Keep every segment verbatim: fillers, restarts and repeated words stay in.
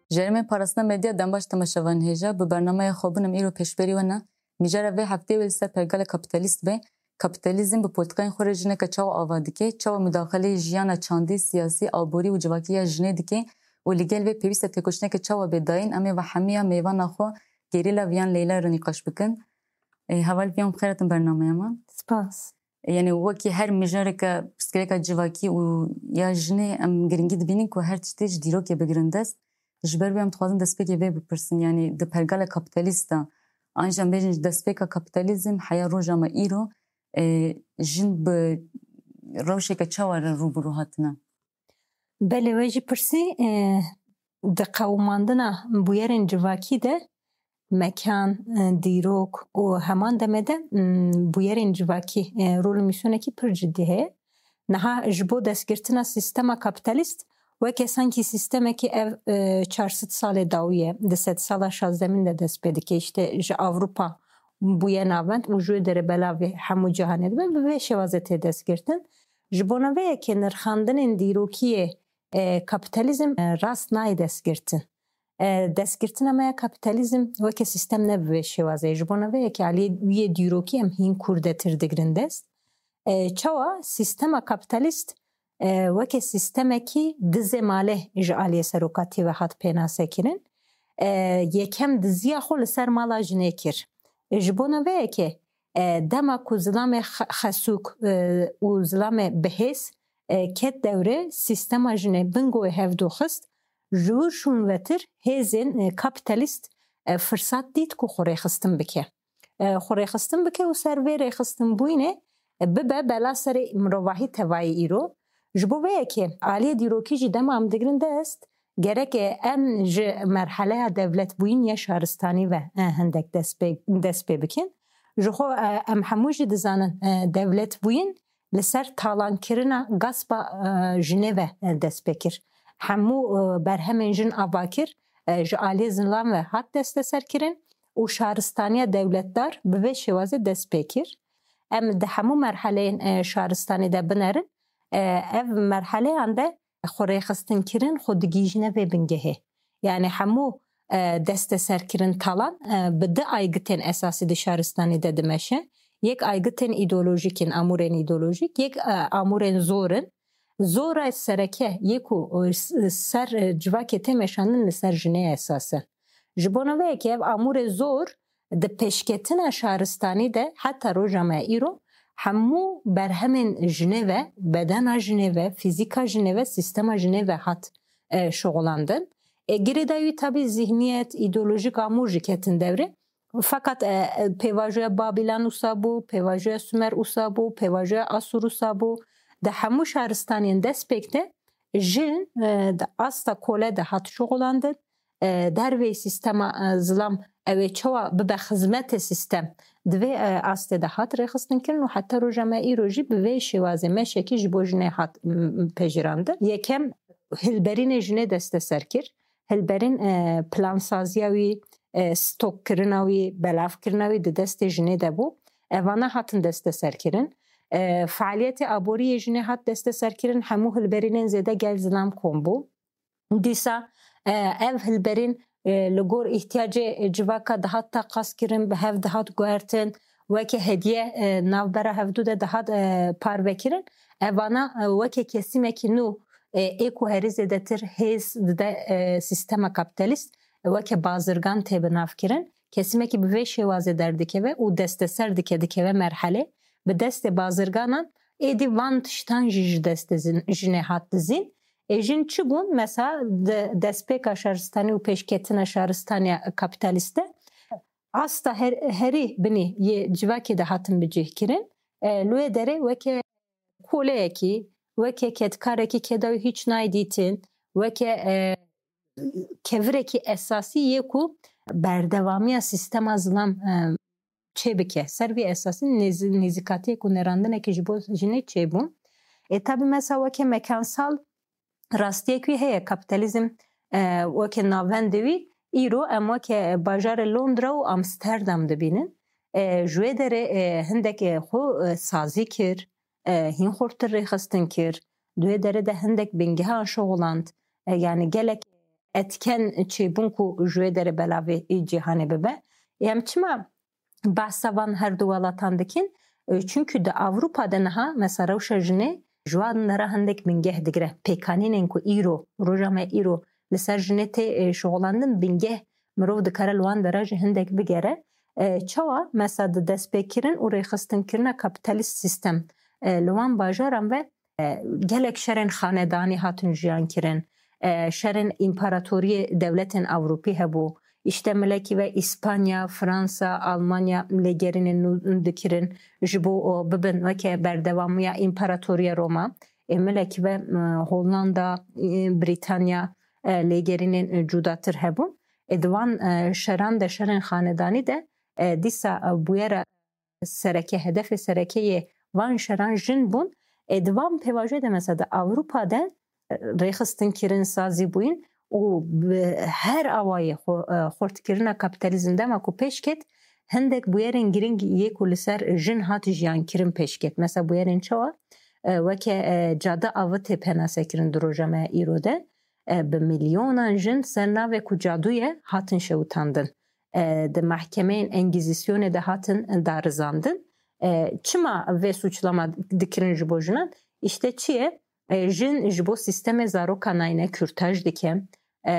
Ji herêmên parastina medya dem baş temaşevanên hêja, bi bernameya xwe bûnim îro pêşberî we ne. Mijara vê hefteyê wê li ser pergala kapîtalîst be. Kapîtalîzm bi polîtîkayên xwe re jineke çawa ava dike, çawa mudaxileyê jiyana çandî, siyasî, aborî û civakî ya jinê dike û li gel vê pêwîst e têkoşîneke çawa bê dayîn, em ê ve hemiya mêvana xwe Gerîla Viyan Leyla re nîqaş bikin. Ê, heval Viyan, bi xêr hatin bernameya me. Spas. Yanî wekî her mijareke pirsgirêka civakî û ya jinê em giringî dibînin ku her tiştê ji dîrokê bigirin dest. Ji ber wê em dixwazin destpêkê vê bipirsin, yanî di pergala kapîtalîst de, an jî em bêjin ji destpêka kapîtalîzm heya roja me îro, e, jin bi rewşeke çawa re rû bi rû hatine? Belê, we jî pirsî, e, di qewimandina bûyerên civakî de mekan, e, dîrok û heman demê de, m, bûyerên civakî, e, rol û mîsyonekî pir cidî heye. Niha ji bo destgirtina sîstema kapîtalîst, weke sankî sîstemekî ev, e, çar sed salê dawî ye, di sedsala şazdemîn de dest pê dike. Îşte ji Ewropa bûye navend û ji wê derê belavê hemû cîhanê dibe, bi vê şêwazê tê destgirtin. Ji bona vê yekê nirxandinên dîrokiyê, e, kapîtalîzm, e, rast nayê destgirtin. E, destgirtina me ya kapîtalîzm weke sîstem ne bi vê şêwazê ye. Ji bona vê yekê aliyê wî yê dîrokî em hîn kûrdetir digirin dest. E, çawa sîstema kapîtalîst, e, weke sîstemekî dizê malê ji aliyê serokatiyê ve hat pênasekirin. E, yekem diziya xwe li ser mala jinê kir. E, ji bona vê yekê, e, dema ku zilamê xe-, xesûk, e, û zilamê bihêz, e, ket dewrê, sîstema jinê bingoyê hevdû xist, ji wir şûn vetir hêzên, e, kapîtalîst, e, firsat dît ku xwe rêxistin bike. E, xwe rêxistin bike û ser vê rêxistinbûyînê, e, bibe bela serê mirovahî tevayê îro. Ji bo vê yekê aliyê dîrokî jî dema em digirin dest, gerek, e, em ji merheleya dewletbûyîn ya şaristanî ve, e, hindek dest pê, dest pê bikin. Ji xwe, e, em hemû jî dizanin, e, dewletbûyîn li ser talankirina gaspa, e, jinê ve, e, dest pê kir. Hemû, e, berhemên jin ava kir, e, ji aliyê zilam ve hat desteserkirin û şaristaniya dewletdar bi vê şêwazê dest pê kir. Em di hemû merheleyên, e, şaristanî de binerin. E, ev merheleyan de xwe rêxistinkirin xwe digihîjine vê bingehê. Yani hemû, e, desteserkirin talan, e, bi du aygitên esasî di şaristanî de dimeşe. Yek aygitên îdeolojîk in, amûrên îdeolojîk, yek, e, amûrên zor in. Zora sereke yê ku, e, s-, ser, e, civakê tê meşandin li ser jinê esas e. Ji bona vê yekê ev amûrê zor di pêşketina şaristanî de heta roja me îro hemû berhemên jinê ve, bedena jinê ve, fîzîka jinê ve, sîstema jinê ve hat, e, şixulandin. E, girêdayî wî tabî zihniyet, îdeolojik amûr jî ketin dewrê. Feqet, e, e, pêvajoya Babîlan wisa bû, pêvajoya Sumer wisa bû, pêvajoya Asûr wisa bû. Di hemû şaristaniyên destpêk de jin, e, di asta kole de hat şixulandin. E, derveyî sîstema, e, zilam ew ê çawa bibe xizmetê sîstem, di vê, e, astê de hat rêxistinkirin û heta roja me îro jî bi vê şêwazê meşekî ji bo jinê hat, m, m, pejirandin. Yekem hilberînê jinê desteser kir. Hilberîn, e, plansaziya wî, e, stokkirina wî, belavkirina wî di destê jinê de bû. Evana hatin desteserkirin. E, faaliyetê aborî yê jinê hat desteserkirin, hemû hilberînên zêde gel zilam kom bû. Dîsa, e, ev hilberîn, e, li gor îhtiyacê civaka dihat taqaskirin, bi hev dihat guhertin, weke hediye, e, navbera hevdû de dihat, e, parvekirin. Evana, e, weke kesîmekî nû, e, ê ku herî zêdetir hêz dide, e, sîstema kapîtalîst, e, weke bazirgan tê binavkirin. Kesîmekî bi vê şêwazê derdikeve û desteser dike, dikeve merhelê, bi destê bazirganan êdî van tiştan jî ji destê zin-, jinê hat dizîn. Ê jin çi bûn? Mesela di destpêka şaristanî û pêşketina şaristaniya kapîtalîst de asta her-, herî binî yê civakê de hatin bicihkirin. E, li wê derê weke koleyekî, weke kedkarekî keda wî hîç nayê dîtin, weke, e, kevirekî esasî yê ku berdewamiya sîstema zilam, e, çêbike. Ser vî esasî nêz-, nêzîkatiyek û nêrandinekî ji bo jinê çêbû. Ê tabî mesela weke mekansal rastiyek wî heye. Kapîtalîzm, e, weke navendê wî îro em weke bajarê Londra û Amsterdam dibînin. E, ji wê derê, e, hindek, e, xwe, e, sazî kir, e, hîn xurtir rêxistin kir. Di wê derê de hindek bingehan şixuland. E, yani gelek etken çêbûn ku ji wê derê belavê cîhanê bibe. Em çima behsa van her du welatan dikin? E, çunkî di Ewropa de niha mesela rewşa jinê ji wan dera hindek bingeh digire. Pêkanînên ku îro, roja me îro li ser jinê tê, e, şixulandin, bingeh mirov dikare li wan dera jî hindek bigere. E, çawa? Mesela di destpêkirin û rêxistinkirina kapitalîst sîstem, e, li wan bajaran ve, e, gelek şerên xanedanî hatin jiyan kirin. E, şerên împaratoriyê dewletên Ewropî hebû. Îşte milekî ve Îspanya, Fransa, Almanya lêgerînên nû dikirin ji bo, o, bibin weke berdewamiya împaratoriya Roma. E, milekî ve, e, Hollanda, e, Brîtanya, e, lêgerînên, e, cudatir hebûn. E, di van, e, şeran de, şerên xanedanî de, e, dîsa, e, bûyera sereke, hedefê sereke yê van şeran jin bûn. E, di van pêvajoyê de mesela di Ewropa de, e, rêxistin kirin, sazî bûyîn û bi her awayê xwe, e, xurtkirina kapîtalîzm dema ku pêş ket, hindek bûyerên girîng yê ku li ser jin hat jiyan kirin pêş ket. Mesela bûyerên çawa? E, weke, e, cade avê tê penase kirin di roja me îro de. E, bi milyonan jin ser navê ku cadu ye hatin şewitandin. E, di mehkemeyên Engîzîsyonê de hatin darizandin. E, çima vê suçlama dikirin ji bo jinan? Îşte çi ye? E, jin ji bo sîstemê zaroka nayîne kürtaj dike, e,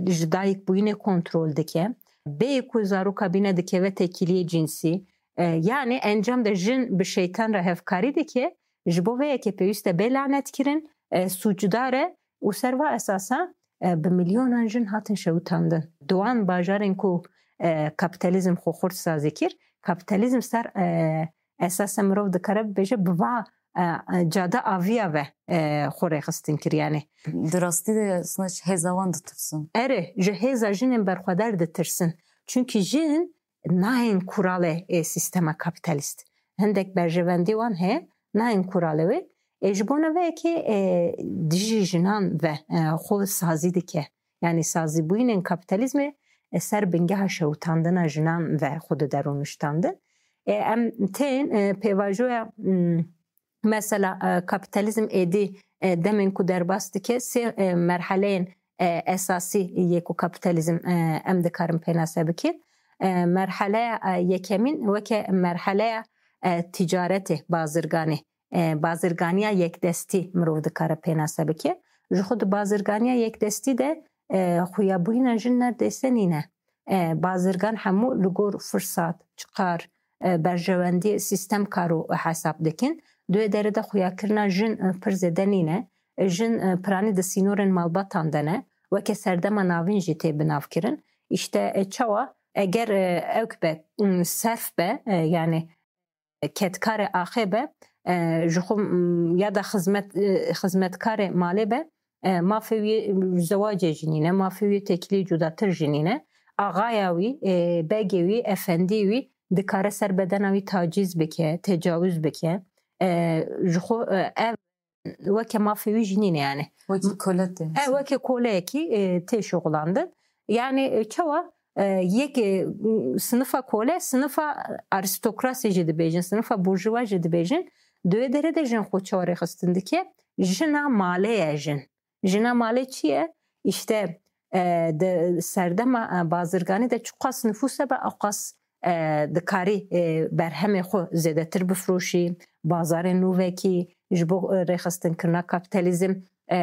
ji dayik bûyînê kontrol dike. Bêyî ku zaroka bîne dikeve têkiliyê cinsî. E, yanî encam de jin bi şeytan re hevkarî dike. Ji bo vê yekê pêwîst e bê lanetkirin, e, sûcdar e û ser va esasa, e, bi milyonan jin hatin şewitandin. Di wan bajarên ku, e, kapîtalîzm xwe xurt sazî kir, kapîtalîzm ser, e, esasa mirov dikare bibêje bi va, e, e, cade aviya ve, e, xwe rêxistin kir. Yanî Di rastî de aslında ji hêza wan ditirsin. Erê, ji hêza jinên berxwedar ditirsin. Çunkî jin nayên kuralê, e, sîstema kapîtalîst. Hindek berjewendî wan heye, nayên kuralê wê. E, ji bona vê yekê, e, dijî jinan ve, e, xwe sazî dike. Yanî sazîbûyînên kapîtalîzmê, e, ser bingeha şewitandina jinan ve xwe dide rûniştandin. E, em tên, e, pêvajoya, m, mesela, e, kapîtalîzm êdî, e, demên ku derbas dike, sê, e, merheleyên, e, esasî yê ku kapîtalîzm, e, em dikarin pênase bikin. E, merheleya, e, yekemîn weke merheleya, e, ticaretê, bazirganê, e, bazirganiya yekdestî mirov dikare pênase bike. Ji xwe di bazirganiya yekdestî de, e, xuyabûyîna jin nerdêse nîne. E, bazirgan hemû li gor firsat, çiqar, e, berjewendiyê sîstem kar û hesab dikin. Di wê derê de xuyakirina jin, e, pir zêde nîne. E, jin, e, piranî di sînorên malbatan de ne. Weke serdema navîn jî tê binavkirin. Îşte, e, çawa? Eger, e, ewk be, m, serf be, e, yanî kedkarê axê be, e, ji xwe, m, ya da xizmet, e, xizmetkarê malê be, e, mafê wî zewacê jî nîne, mafê wî têkilî cudatir jî nîne. Axaya wî, e, begê wî, efendî wî dikare ser bedena wî tacîz bike, tecawuz bike. E, ji xwe, e, ev weke mafê wî jî nîne yani. Wekî kole tê. E, weke koleyekî, e, tê şixulandin. Yani, e, çawa, e, yek, e, sinifa kole, sinifa aristokrasî jî dibêjin, sinifa burjuwa jî dibêjin. Di wê derê de jin xwe çawa rêxistin dike? Jina malê ye jin. Jina malê çi ye? Îşte, e, di serdema, e, bazirganî de çiqas nifûs hebe, eqas, e, dikarî, e, berhemê xwe zêdetir bifroşî, bazarên nû vekî, ji bo, e, rêxistinkirina kapîtalîzm, e,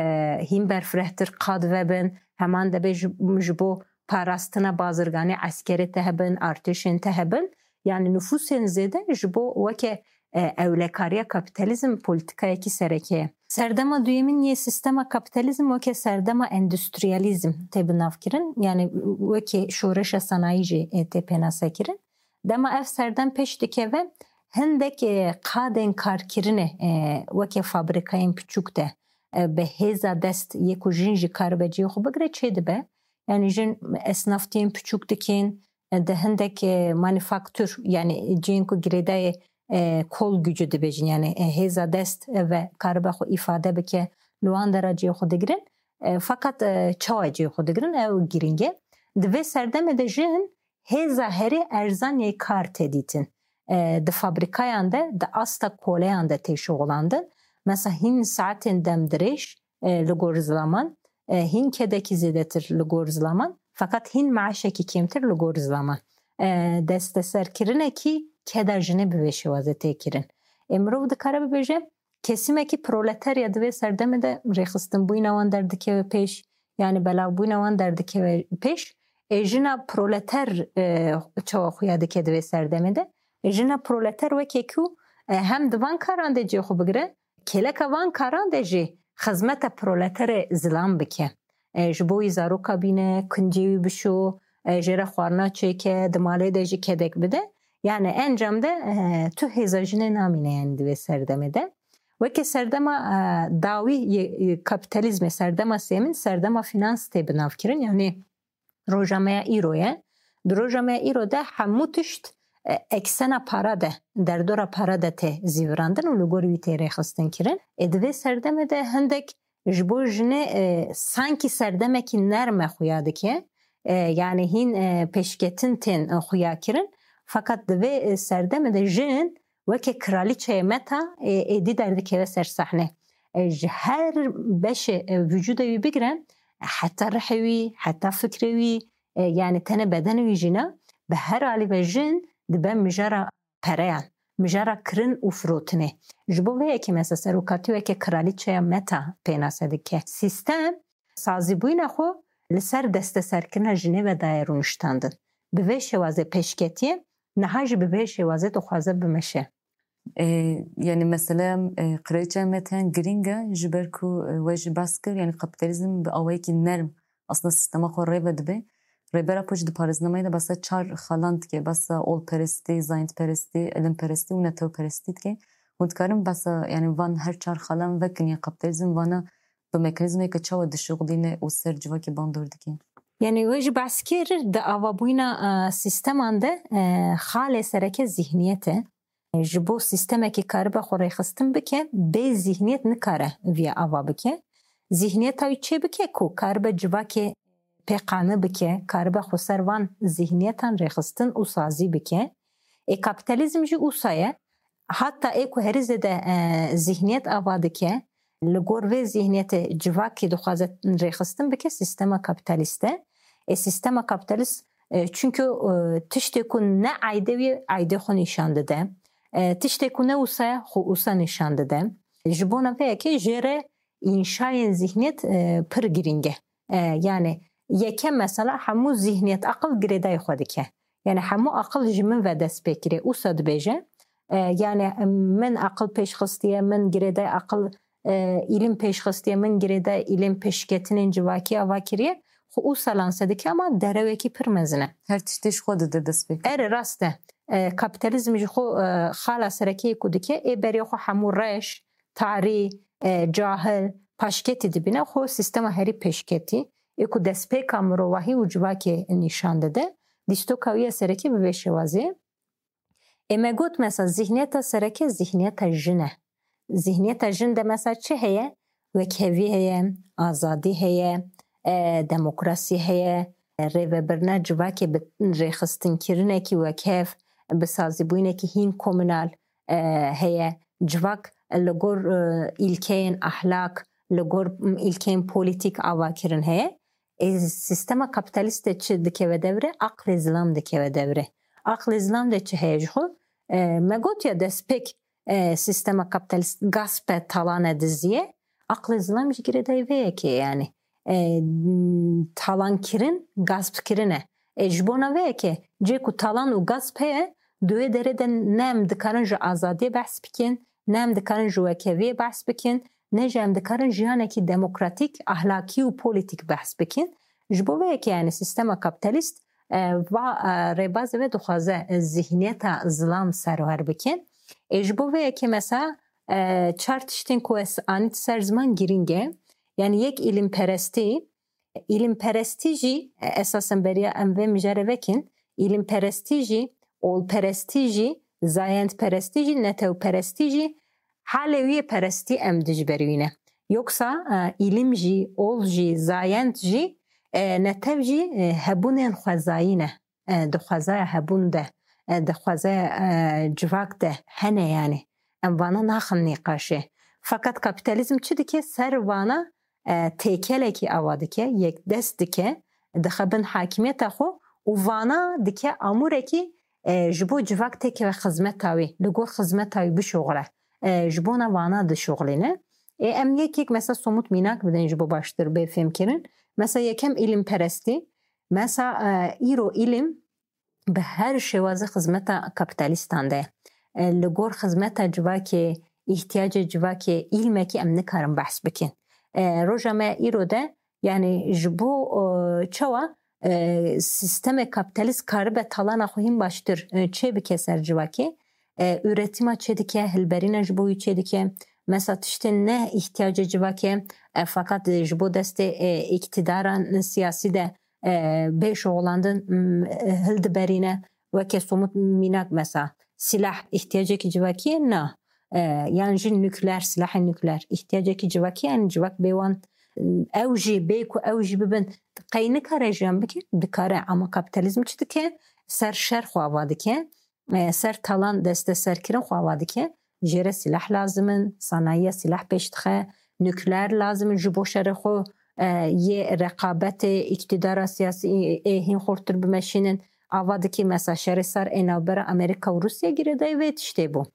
hîn berfirehtir qad vebin, heman debe ji, ji bo parastina bazirganê eskerê te hebin, artêşên te hebin. Yani nifûsên zêde ji bo weke, e, ewlekariya kapîtalîzm polîtîkayekî sereke ye. Serdema duyemîn yê sîstema kapîtalîzm weke serdema endûstriyalîzm tê binavkirin, yani wekî şoreşa sanayî jî, e, tê pênasekirin. Dema ev serdem pêş dikeve, hindek, e, qadên karkirinê, e, weke fabrîkayên piçûk de, e, bi hêza dest yê ku jin jî karibe cihê xwe bigire çêdibe. Yani jin esnaftiyên piçûk dikin, e, di hindek, e, manîfaktur, yani cihên ku girêdayê, e, kol gücü dibêjin, yani, e, hêza dest, e, ve karibe xwe îfade bike, li wan dera cihê xwe digirin. E, fakat, e, çawa cihê xwe digirin, ew girîng e. Di vê serdemê de jin hêza herî erzan yê kar tê dîtin. E, di fabrîkayan de, di asta koleyan de tê şixulandin. Mesela hîn saetên demdirêj, e, li gor zilaman, e, hîn kedekî zêdetir li gor zilaman, feqet hîn meaşekî kêmtir li gor zilaman. E, desteserkirinekî keda jinê bi vê şêwazê tê kirin. Ê mirov dikare bibêje, kesimekî proleterya di vê serdemê de rêxistinbûyîna wan derdikeve pêş, yani belavbûyîna wan derdikeve pêş. Ê jina proleter, e, çawa xuya dike di vê serdemê de? Ê jina proleter wekî ku, e, hem di van karan de cê xwe bigire, kêleka van karan de jî xizmeta proleterê zilam bike. E, ji bo wî zaroka bîne, kincê wî bişo, e, jê re xwarina çêke, di malê de jî kedek bide. Yani encam de, e, tu hêza jinê namîne yani di vê serdemê de. Weke serdema, e, dawî yê, yê kapîtalîzmê, serdema sêmin, serdema finans tê binavkirin. Yani roja me ya îro ye. Di roja me ya îro de hemû tişt, e, eksena para de, derdora para de tê zîvirandin û li gor wî tê rêxistin kirin. Ê di vê serdemê de hindek ji bo jinê, e, sankî serdemekî nerm e xuya dike. E, yani hîn, e, pêşketin tên, e, xuya kirin. Fakat di vê, e, serdemê de jin weke kralîçeyê meta, e, êdî derdikeve ser sehne. E, ji her beşê, e, vücuda wî bigire, heta rihê wî, heta fikrê wî, e, yani tenê bedenê wî jî ne, bi her alî ve jin dibe mijara pereyan, mijara kirin û firotinê. Ji bo vê yekê mesela serokatî weke kralîçeya meta pênase dike. Sîstem sazîbûyîna xwe li ser desteserkirina jinê ve daye rûniştandin. Bi vê şêwazê pêşketiye, niha jî bi vê şêwazê dixwaze bimeşe. E, yani mesele, e, kraliçeya meta giring e, ji ber ku, e, we jî bas kir, yani kapîtalîzm bi awayekî nerm aslında sîstema xwe rê ve dibe. Rêbera Koç di parêznameyê de behsa çar xalan dike, behsa olperestî, zayendperestî, ilimperestî û netewperestî dike. Hûn dikarin behsa, yani van her çar xalan vekin, ya kapîtalîzm vana bi mekanîzmayeke çawa dişuxulîne û ser civakê bandor dike? Yani we jî behs kir, di avabûyîna, e, sîsteman de, e, xalê sereke zîhniyet e. Ji bo sîstemekî karibe xwe rêxistin bike, bê zîhniyet nikare viya ava bike. Zîhniyeta wî çê bike ku karibe civakê pê qane bike, karibe xweser van zîhniyetan rêxistin û sazî bike. Ê kapîtalîzm jî ûsa ye. Heta ê ku herî zêde, e, zîhniyet ava dike, li gor vê zîhniyetê civakî dixwaze rêxistin bike, sîstema kapîtalîst e. Ê sîstema kapîtalîst, e, çunku, e, tiştê ku ne aydê wî, aydê xwe nîşan dide. E, tiştê ku ne ûsa ye, xwe ûsa nîşan dide. Ji bona vê yekê jê re înşayên zîhniyet, e, pir girîng e. E, yani yekem mesela hemû zîhniyet aqil girêdayî xwe dike. Yani hemû aqil ji min ve dest pê kirê. Ûsa dibêje, e, yani min aqil pêş xistiye, min girêdayî aqil, e, îlim pêş xistiye, min girêdayî îlim pêşketinên civakî ava kiriye. Xwe ûsa lanse dike ama derewekî pir mezin e. Her tiştê ji xwe dide dest pê. Erê rast e. E, kapîtalîzm ji xwe, e, xala serekê ku dike, ê berê xwe hemû reş, tarî, e, cahil, paşketî dibîne, xwe sîstema herî pêşketî, ê ku destpêka mirovahî û civakê nîşan dide, dîstoka wî ya serekê bi vê şêwazê. Ê me got, mesela, zîhniyeta sereke zîhniyeta jin e. Zîhniyeta jin de, mesela, çi heye? Wekhevî heye, azadî heye, e, demokrasî heye, e, rêvebirina civakê bi rêxistinkirinekî wekhev, bi sazîbûyînekî hîn komunal, e, heye. Civak li gor, e, îlkeyên ahlak, li gor, m, îlkeyên polîtîk avakirin heye. Ê sîstema kapîtalîst de çi dikeve dewre? Aqlê zilam dikeve dewre. Aqlê zilam de çi heye ji xwe? E, me got ya destpêk, e, sîstema kapîtalîst gasp e, talan e, dizî ye. Aqlê zilam jî girêdayî vê yekê ye, yanî. E, talankirin, gaspkirin e. E, ji bona vê yekê, cê ku talan û gasp heye, di wê derê de ne em dikarin ji azadiyê behs bikin, ne em dikarin ji wekheviyê behs bikin, ne jî em dikarin jiyanekî demokratîk, ahlakî û polîtîk behs bikin. Ji bo vê yekê, yanî, sîstema kapîtalîst, e, va, e, rêbazê ve dixwaze, e, zîhniyeta zilam serwer bike. Ê ji bo vê yekê, mesela, e, çar tiştên ku ez anît ser ziman girîng e. Yanî yek, îlimperestî. Îlimperestî jî, e, esasen beriya em vê mijarê vekin, îlimperestî jî, olperestî jî, zayendperestî jî, netewperestî jî halê wî yê perestî em dijber wî ne. Yoksa, e, îlim jî, ol jî, zayend jî, e, netew jî, e, hebûnên xwezayî ne. E, dixwazaya hebûn de, e, dixwazaya, e, civak de hene, yanî. Em vana naxin nîqaşê. Fakat kapîtalîzm çi dike? Ser vana, e, têkelekî ava dike, yekdest dike, dixe bin hakimiyeta xwe û vana dike amûrekî, e, ji bo civak têkeve xizmeta wî, li gor xizmeta wî bişuxile. E, ji bona vana dişuxilîne. Ê, em yek yek mesela somut mînak bidin ji bo baştir bê fêmkirin. Mesela yekem îlimperestî. Mesela, e, îro îlim bi her şêwazê xizmeta kapîtalîstan de. E, li gor xizmeta civakê, îhtiyacê civakê, îlmekî em nikarin behs bikin. E, roja me îro de, yanî ji bo, e, çawa, e, sîstemê kapîtalîst karibe talana xwe hîn baştir, e, çêbike ser civakê, e, üretîma çêdike, hilberîna ji bo wî çêdike. Mesela tiştên ne îhtiyacê civakê, e, feqet ji bo destê, e, îktîdaran siyasî de, e, bê şixulandin, m, e, hildiberîne. Weke somut mînak mesela, silah îhtiyacekî civakî ye? Na. E, yan jî nukleer, silahê nukleer îhtiyacekî civakî ye? Yanî civak bê wan, m, ew jî bê ku ew jî bibin, qey nikare jiyan bike? Dikare, ama kapîtalîzm çi dike? Ser şer xwe ava dike. E, ser talan desteserkirin xwe ava dike. Jê re silah lazim in, sanayiya silah pêş dixe, nukleer lazim in ji bo şerê xwe, e, yê reqabetê îktidara siyasî, ê, hîn xurtir bimeşînin. Ava dike mesela şerê sar ê navbera Amerîka û Rûsya girêdayî vê tiştê bû.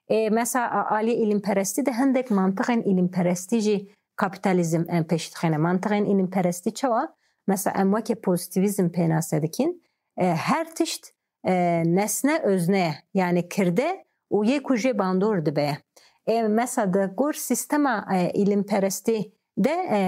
E, mesela a-, aliyê îlimperestî de hindek mantixên îlimperestî jî kapîtalîzm em pêş dixîne. Mantixên îlimperestî çawa? Mesela em weke pozîtîvîzm pênase dikin. E, her tişt e, nesne özne ye, yanî kirde û yê ku jê bandor dibe. E, mesela di gor sîstema, e, îlimperestî de, e,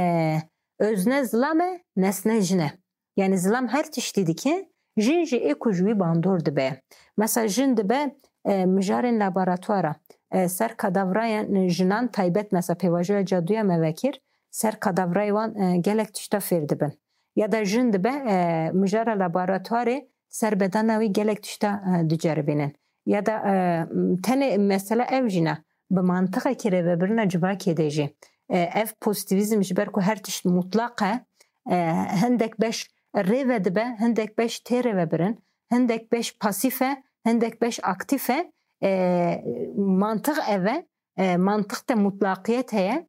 özne zilam e, nesne jin e. Yanî zilam her tiştî dike, jin jî ê ku ji wî bandor dibe. Mesela jin dibe, e, mijarên laboratwara, e, ser kadavrayên jinan taybet, mesela pêvajoya caduya me vekir, ser kadavrayê wan, e, gelek tişta fêr dibin. Ya da jin dibe, e, mijara laboratuwarê ser bedena wî gelek tişta, e, diceribînin. Ya da, e, tenê mesela ew jî ne, bi mantixekî rêvebirina civakê de jî. E, ev pozîtîvîzm ji ber ku her tişt mutlaq e, e, hindek beş rêve dibe, hindek beş tê rêvebirin, hindek beş pasîf e, hindek beş aktîf e. E, mantix ev e, e, mantix de mutlaqiyet heye.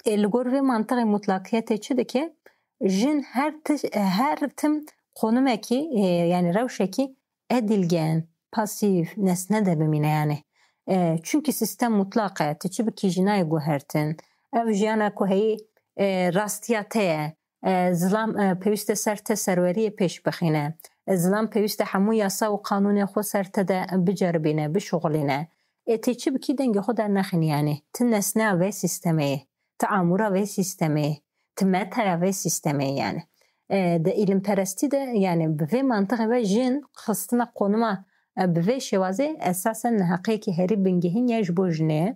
E, li gor vê mantixê mutlaqiyetê çi dike? Jin her ti-, her tim qonimekî, e, yanî rewşekî edilgen, pasîf, nesne de bimîne yanî. E, çunkî sîstem mutlaq e, tu çi bikî jî nayê guhertin. Ev jiyana ku heyî, e, rastiya te ye. E, zilam, e, pêwîst e ser te serweriyê pêş bixîne. E, zilam pêwîst e hemû yasa û qanûnê xwe ser te de biceribîne, bişuxulîne. Ê tê çi bikî dengê xwe dernexînî yanî. Ti nesneya vê sîstemê yê. Ti amûra vê sîstemê yê. Ti metaya vê sîstemê yê yanî. E, di îlimperestî de yanî bi vê mantixê ve jin xistina qonima, e, bi vê şêwazê esasen neheqiyekî herî bingehîn ye ji bo jinê.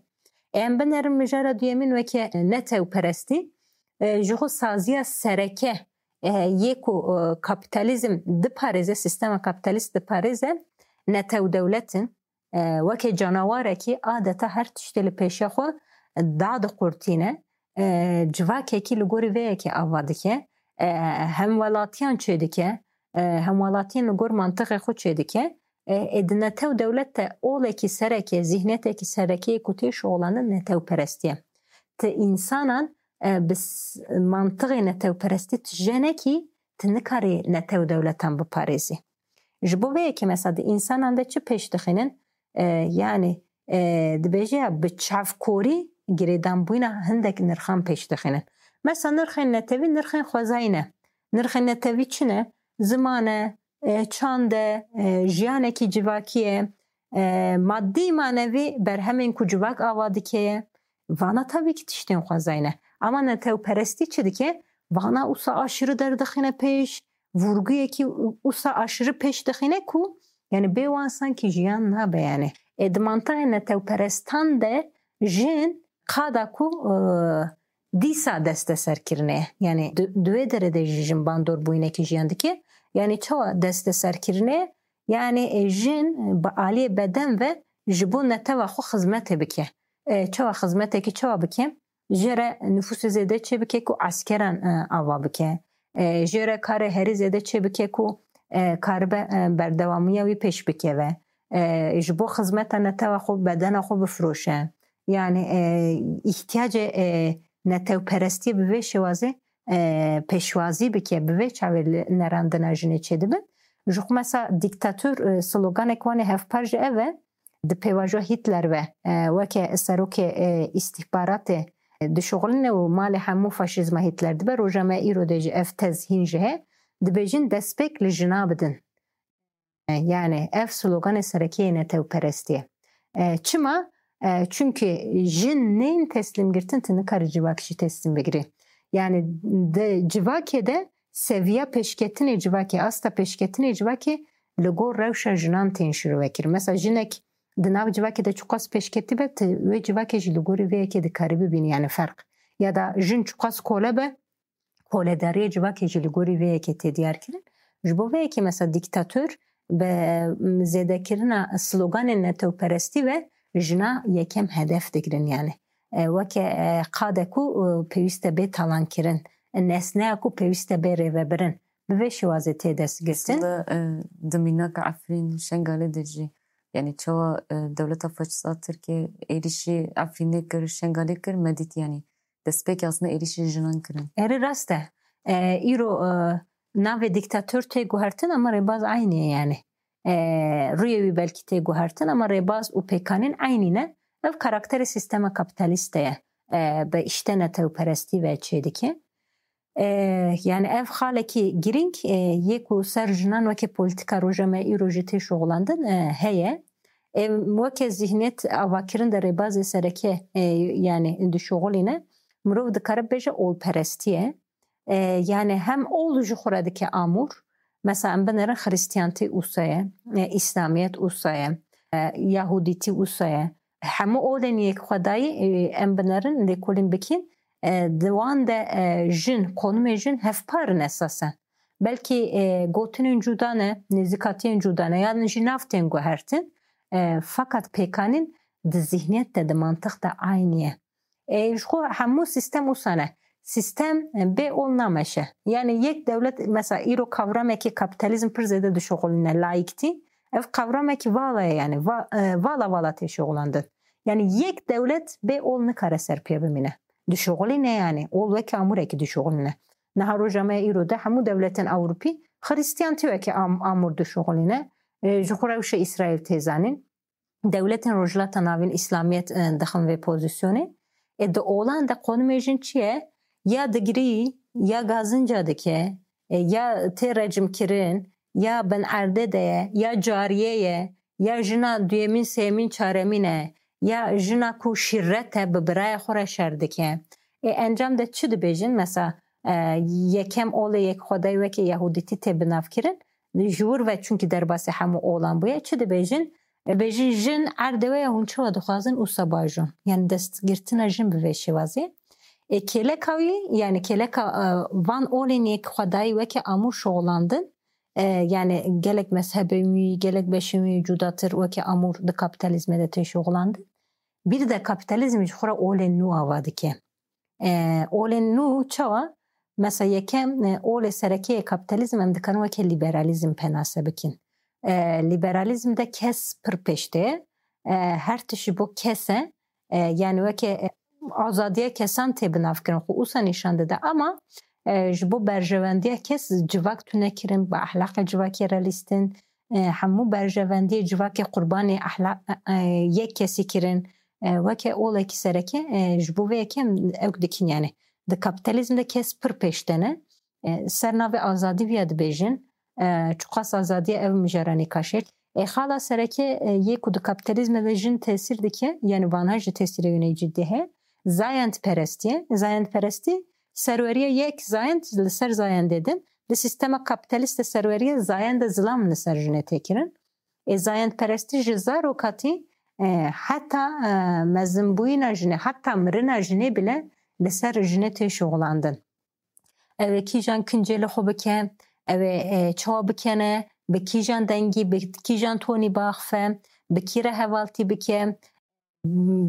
Em binerin mijara duyemîn weke netewperestî, e, ji xwe saziya sereke, e, yê ku, e, kapîtalîzm diparêze, sîstema kapîtalîst diparêze, netew dewlet in. E, weke canawarekî adeta her tiştê li pêşiya xwe dadiqurtîne. E, civakekî li gorî vê yekê ava dike. E, hemwelatiyan çêdike. E, hemwelatiyên li gor mantixê xwe çêdike. E, ê di netew dewlet de olekî sereke, zîhniyetekî sereke yê ku tê şixulanin netewperestî ye. Ti însanan, e, bi s-, mantixê netewperestî ti jenekî, ti nikarî netew dewletan biparêzî. Ji bo vê yekê mesela di însanan de çi pêş dixînin? E, yanî, e, dibêje ya bi çavkorî girêdanbûyîna hindek nirxan pêş dixînin. Mesela nirxên netewî nirxên xwezayî ne. Nirxên netewî çi ne? Ziman e, e, çand e, e, jiyanekî civakî ye, e, madî manevî berhemên ku civak ava dike ye. Vana tabii ki tiştên xwezayî ne. Ama netewperestî çi dike? Vana usa aşırı derdixîne pêş, vurguyekî u-, usa aşırı pêş dixîne ku, yanî bê wan sankî jiyan nabe yanî. E, di mantixê netewperestan de jin qada ku, e, dîsa desteserkirinê. Yanî di, di wê derê de jî jin bandorbûyînekî jiyan dike. Yanî çawa desteserkirinê? Yanî, e, jin bi aliyê beden ve ji bo netewa xwe xizmetê bike. E, çawa xizmetekî çawa bike? Jê re nifûsê zêde çê bike ku eskeran, e, ava bike. E, jê re karê herî zêde çê bike ku, e, karibe, e, berdewamiya wî pêş bikeve. E, ji bo xizmeta netewa xwe, bedena xwe bifiroşe. Yanî, e, îhtiyacê, e, netewperestiyê bi vê şêwazê e, pêşwazî bike, bi vê çavê li nerandina jinê çêdibin. Ji xwe mesela dîktator, e, sloganek wan ê hevpar jî ev e, di pêvajoya Hitler ve, e, weke serokê, e, îstîhbaratê, e, dişuxuline û malê hemû faşîzma Hitler dibe. Roja me îro de jî ev tez hîn jî heye. Dibêjin destpêk li jina bidin. E, yani ev sloganê serekê yê netewperestî ye. E, çima? E, çunki jin nên teslîmgirtin, tu nikarî civak jî teslîm bigirî. Yani di civakê de seviya pêşketinê civakê, asta pêşketinê civakê li gor rewşa jinan tên şirovekirin. Mesela jinek di nav civakê de çiqas pêşketî be, tu wê civakê jî li gorî vê yekê dikarî bibînî, yani ferq. Ya da jin çiqas kole be, koledariyê civakê jî li gorî vê yekê tê diyar kirin. Ji bo vê yekê mesela dîktator bi zêdekirina sloganên netewperestî ve jina yekem hedef digirin yani. E, weke, e, qade ku, e, pêwîst e bê talankirin, nesneya ku pêwîst e bê rêvebirin, bi vê şêwazê tê destgirtin. Aslında, e, di mînaka Efrîn, Şengalê de jî, yani çawa, e, dewleta faşîsta Tirkiyê êrîşî Efrînê kir, Şengalê kir, me dît yani destpêkê aslında êrîşî jinan kirin. Erê rast e. E, îro, e, navê dîktator tê guhertin ama rêbaz eynî ye yani. E, rûyê wî belkî tê guhertin ama rêbaz û pêkanîn eynî ne. Ev karakterê sîstema kapîtalîst de ye. E, bi îşte netewperestî ve çêdike. E, yani ev xalekî girîng, e, yê ku ser jinan weke polîtîka roja me îro jî tê şoxlandin, e, heye. E, weke zîhniyet avakirin de rêbazê sereke, e, yani dişoxilîne, mirov dikare bêje olperestî ye. E, yani hem ol ji xwe re dike amûr, mesela em binerin xrîstiyantî ûsa ye, e, îslamiyet ûsa ye, e, yahûdîtî ûsa ye. Hemû olên yekxwedayî, e, em binerin, lêkolîn bikin, e, di wan de, e, jin, konimê jin hevpar in esasen. Belkî, e, gotinên cuda ne, nêzîkatiyên cuda ne, yan jî nav tên guhertin, e, fakat pêkanîn di zîhniyet de, di mantiq de eynî ye. E, ji xwe hemû sîstem wisa ne. Sîstem, e, bê ol nameşe. Yani yek dewlet, mesela îro kavramekî kapîtalîzm pir zêde dişuxulîne, laiktî. Ev kavramekî vala ye yani, va-, e, vala vala tê şuxulandin. Yani yek dewlet bê ol nikare ser pê bimîne. Dişuxulîne yani, ol weke amûrekî dişuxulîne. Niha roja me îro de hemû dewletên Ewropî xrîstiyantî weke am-, amûr dişuxulîne. E, ji xwe rewşa Îsraîl tê zanîn. Dewletên Rojhilata Navîn, îslamiyet, e, dixin vê pozîsyonê. E, di olan de konimê jin çi ye? Ya digirî, ya gazinca dike, e, ya tê recimkirin, ya bin erdê de ye, ya cariyê ye, ya jina duyemîn, sêyemîn, çaremîn e, ya jina ku şîret e, bi birayê xwe re şer dike. E, encam de çi dibêjin? Mesela, e, yekem olê yekxwedayî weke yahûdîtî tê binavkirin. Ji wir ve çunkî derbasî hemû olan bûye. Çi dibêjin? Dibêjin, jin erdê we ye, hûn çawa dixwazin wisa bajon. Yani destgirtina jin bi vê şêwazê. E, kêleka wî, yani kêleka, e, van olên yekxwedayî weke amûr şoxlandin. E, yani gelek mezhebên wî, gelek beşên wî cudatir weke amûr di kapîtalîzmê de tê şoxlandin. Bir de kapîtalîzm ji xwe re olên nû ava dike. E, olên nû çawa? Mesela yekem, e, olê serekê yê kapîtalîzm em dikarin weke lîberalîzm penase bikin. E, lîberalîzm de kes pir pêş tê. E, her tişt ji bo kes e. E, yani weke, e, azadiya kesan tê binavkirin, xwe wisa nîşan dide. Ama, e, ji bo berjewendiya kes civak tune kirin, bi ehlaqê civakê re lîstin, e, hemû berjevendiyê civakê qurbanê ehla-, e, e, yek kesî kirin, e, weke olekî sereke, e, ji bo vê yekê em ew dikin, yani di kapîtalîzm de kes pir pêş de ne. E, ser navê azadî viya dibêjin, e, çiqas azadiya ev mijara nîqaşê. E, xala sereke, e, yê ku di kapîtalîzmê de jin tesîr dike, yani vana jî tesîrê wî nê cidî heye, zayendperestî ye. Zayendperestî serweriya yek zayend li ser zayendê din, di sîstema kapîtalîst de serweriya zayenda zilam li ser jinê tê kirin. Ê zayendperestî ji zarokatî, e, heta, e, mezinbûyîna jinê, heta mirina jinê bile li ser jinê tê şuxulandin. Ew ê kîjan kincê li xwe bike, ew ê, e, çawa bikene, bi kîjan dengî, bi kîjan tonî biaxife, bi kî re hevaltî bike,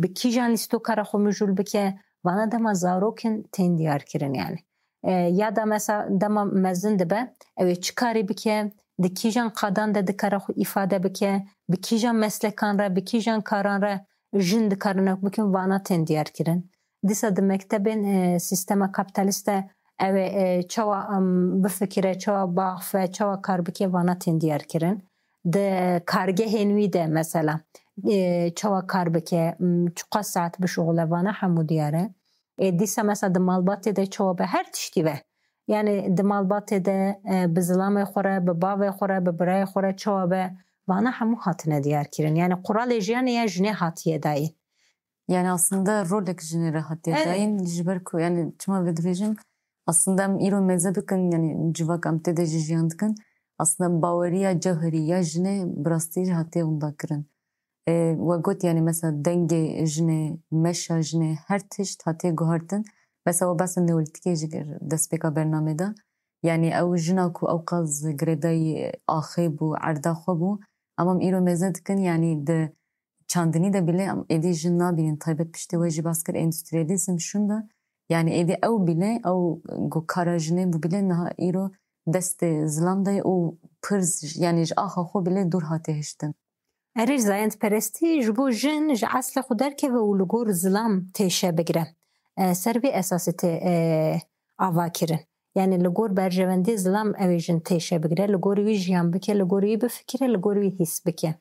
bi kîjan lîstoka re xwe mijûl bike, vana dema zarok in tên diyar kirin yani. E, ya da mesela dema mezin dibe, ew ê çi karî bike, di kîjan qadan de dikare xwe îfade bike, bi kîjan meslekan re, bi kîjan karan re jin dikarin ew bikin, vana tên diyar kirin. Dîsa di mektebên, e, sîstema kapîtalîst de ew ê, e, çawa, em, bifikire, çawa biaxife, çawa kar bike, vana tên diyar kirin. Di kargehên wî de mesela, e, çawa kar bike, m, çiqas saet bişuxile, vana hemû diyar e. E, dîsa mesela di malbatê de çawa be, her tiştî be. Yani di malbatê de, e, bi zilamê xwe re, bi bavê xwe re, bi birayê xwe re çawa be, vana hemû hatine diyar kirin. Yani quralê jiyanê ya jinê hatiye dayîn. Yani aslında rolek jinê re hatiye Evet. dayîn, ji ber ku yani çima vê dibêjim, aslında em îro mêze dikin, yani civak em tê de jî jiyan dikin. Aslında baweriya cewherî ya jinê bi rastî jî hatiye winda kirin. E, we got yani mesela dengê jinê, meşa jinê, her tişt hatiye guhartin. Mesela we behsa neolîtîkê jî kir destpêka bernamê de. Yani ew jina ku ewqas girêdayî axê bû, erda xwe bû. Ama em îro mêze dikin, yani di çandinî de bile em êdî jin nabînin, taybet piştî we jî bas kir endüstriyalîzm şûnda. Yani êdî ew bile, ew ku kara jinê bû bile niha îro destê zilam de ye û pir z-, yani ji axa xwe bile dûr hate hiştin. Erê, zayendperestî ji bo jin ji eslê xwe derkeve û li gor zilam têşe bigire. E, ser vê esasê tê, e, ava kirin. Yani li gor berjewendê zilam ew ê jin têşe bigire, li gor wî jiyan bike, li gor wî bifikire, li gor wî hîs bike.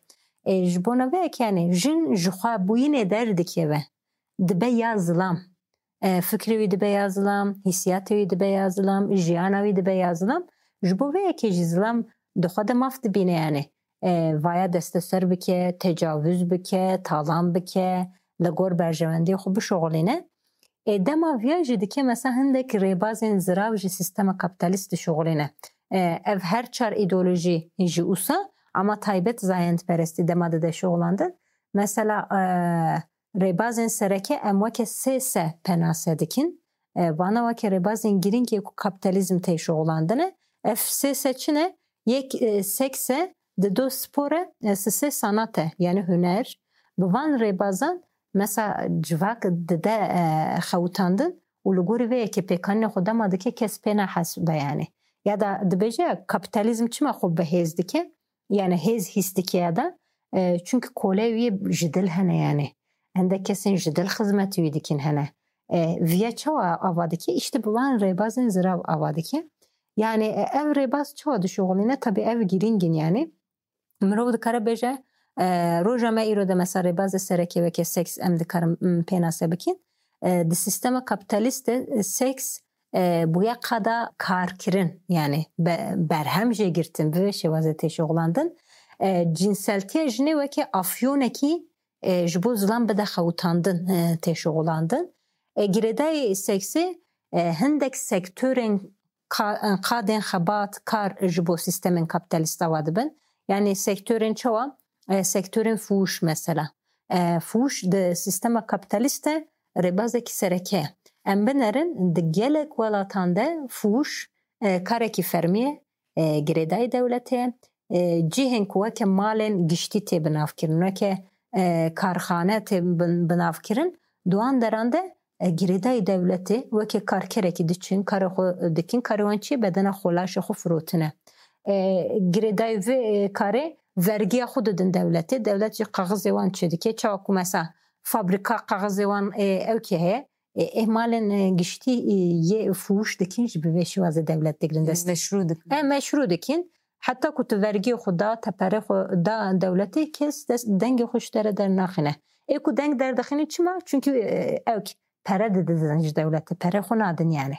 E, ji bona vê yekê yani jin ji xwe bûyînê derdikeve, dibe ya zilam. E, fikrê wî dibe ya zilam, hîsiyatê wî dibe ya zilam, jiyana wî dibe ya zilam. Ji bo vê yekê jî zilam di xwe de maf dibîne yani. E, vaya desteser bike, tecavuz bike, talan bike, li gor berjewendiyê xwe bişuxulîne. E, dema viya jî dike mesela hindek rêbazên zirav ji sîstema kapîtalîst dişuxulîne. E, ev her çar îdeolojî ji ûsa ama taybet zayendperestî dema dide şuxulandin. Mesela, e, rêbazên sereke em weke sê se penase dikin. E, vana weke rêbazên girîng yê ku kapîtalîzm tê şuxulandine. Ev sê se çi ne? Yek, e, seks e, dido spor e, e, sisê sanat e, yani huner. Bi van rêbazan mesela civak dide, e, xewitandin û li gorî vê yekê pêkanîna xwe dema dike kes pê nahesbe yani. Ya da dibêje kapîtalîzm çima xwe bi hêz dike? Yani hêz hîs dike ya da, e, çünkü kolê wî ji dil hene yani. Hindek kesên ji dil xizmetê wî dikin hene. E, viya çawa ava dike? İşte bi van rêbazên zirav ava dike. Yani, e, ev rêbaz çawa dişuxulîne? Tabii ev girîng in yani. Mirov dikare bêje, e, roja me îro de mesela rêbazê sereke weke seks em dikarin, m, pênase bikin. E, di sîstema kapîtalîst de, e, seks, e, bûye qada karkirin, yani be-, berhem jê girtin, bi vê şêwazê tê şuxulandin. E, cinseltiya jinê weke afyonekî, e, ji bo zilam bide xewitandin, e, tê şuxulandin. E, girêdayî seksê, e, hindek sektorên ka-, qadên xebat, kar ji bo sîstemên kapîtalîst ava dibin. Yani sektorên çawa? E, sektorên fuhuş mesela. E, fuhuş di sîstema kapîtalîst de rêbazekî sereke ye. Em binerin, di gelek welatan de fuhuş, e, karekî fermî ye, e, girêdayî dewletê ye. E, cihên ku weke malên giştî tê binavkirin, weke, e, karxane tê bin-, binavkirin, di wan deran de, e, girêdayî dewletê weke karkerekî diçin, karê xwe dikin, karê wan çi ye? Bedena xwe, laşê xwe firotine. E, girêdayî vê, e, karê vergiya xwe didin dewletê. Dewlet jî kaxizê wan çêdike. Çawa ku mesela fabrîka kaxizê wan, e, ew kê heye, e, ê malên, e, giştî, e, yê fuhuş dikin jî bi vê şêwazê dewlet digirin dest. Meşrû dikin. E, meşrû dikin. Heta ku tu vergiyê xwe da, te perê xwe da dewletê, kes dest, dengê xwe ji te re dernaxîne. Ê ku deng derdixîne çima? Çünkü, e, ew ki pere didin ji dewletê, perê xwe nadin yani.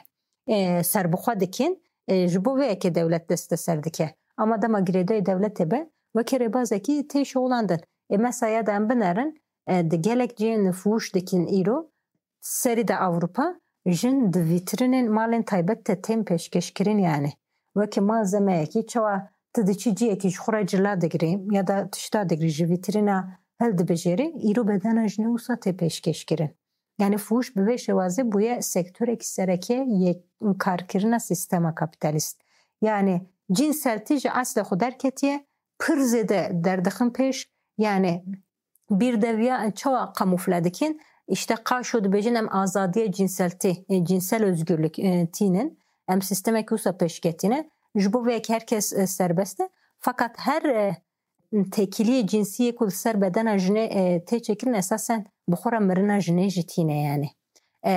E, serbixwe dikin, e, ji bo vê yekê dewlet desteser dike. Ama dema girêdayî dewletê be, weke rêbazekî tê şuxulandin. Ê mesela ya da em binerin, e, di gelek cihên fuhuş dikin îro, serî de Ewropa, jin di vîtrînên malên taybet de tên pêşkêşkirin yani. Weke malzemeyekî, çawa tu diçî cihekî ji xwe re cila digirî ya da tişta digirî, ji vîtrîna hildibijêrî, îro bedena jinê wisa tê pêşkêşkirin. Yani fuhuş bi vê şêwazê bûye sektorekî sereke yê karkirina sîstema kapîtalîst. Yani cinseltî ji eslê xwe derketiye, pir zêde derdixin pêş, yani bîrdeviya çawa kamufle dikin? İşte qaşo dibêjin em azadiya cinseltî, e, cinsel özgürlük, e, tînin. Em sîstemekî wisa pêşketîne. Ji bo vê yekê her kes, e, serbest e. Fakat her, e, têkiliyê cinsî yê ku li ser bedena jinê, e, tê çêkirin esasen bi xwe re mirina jinê jî tîne yani. E,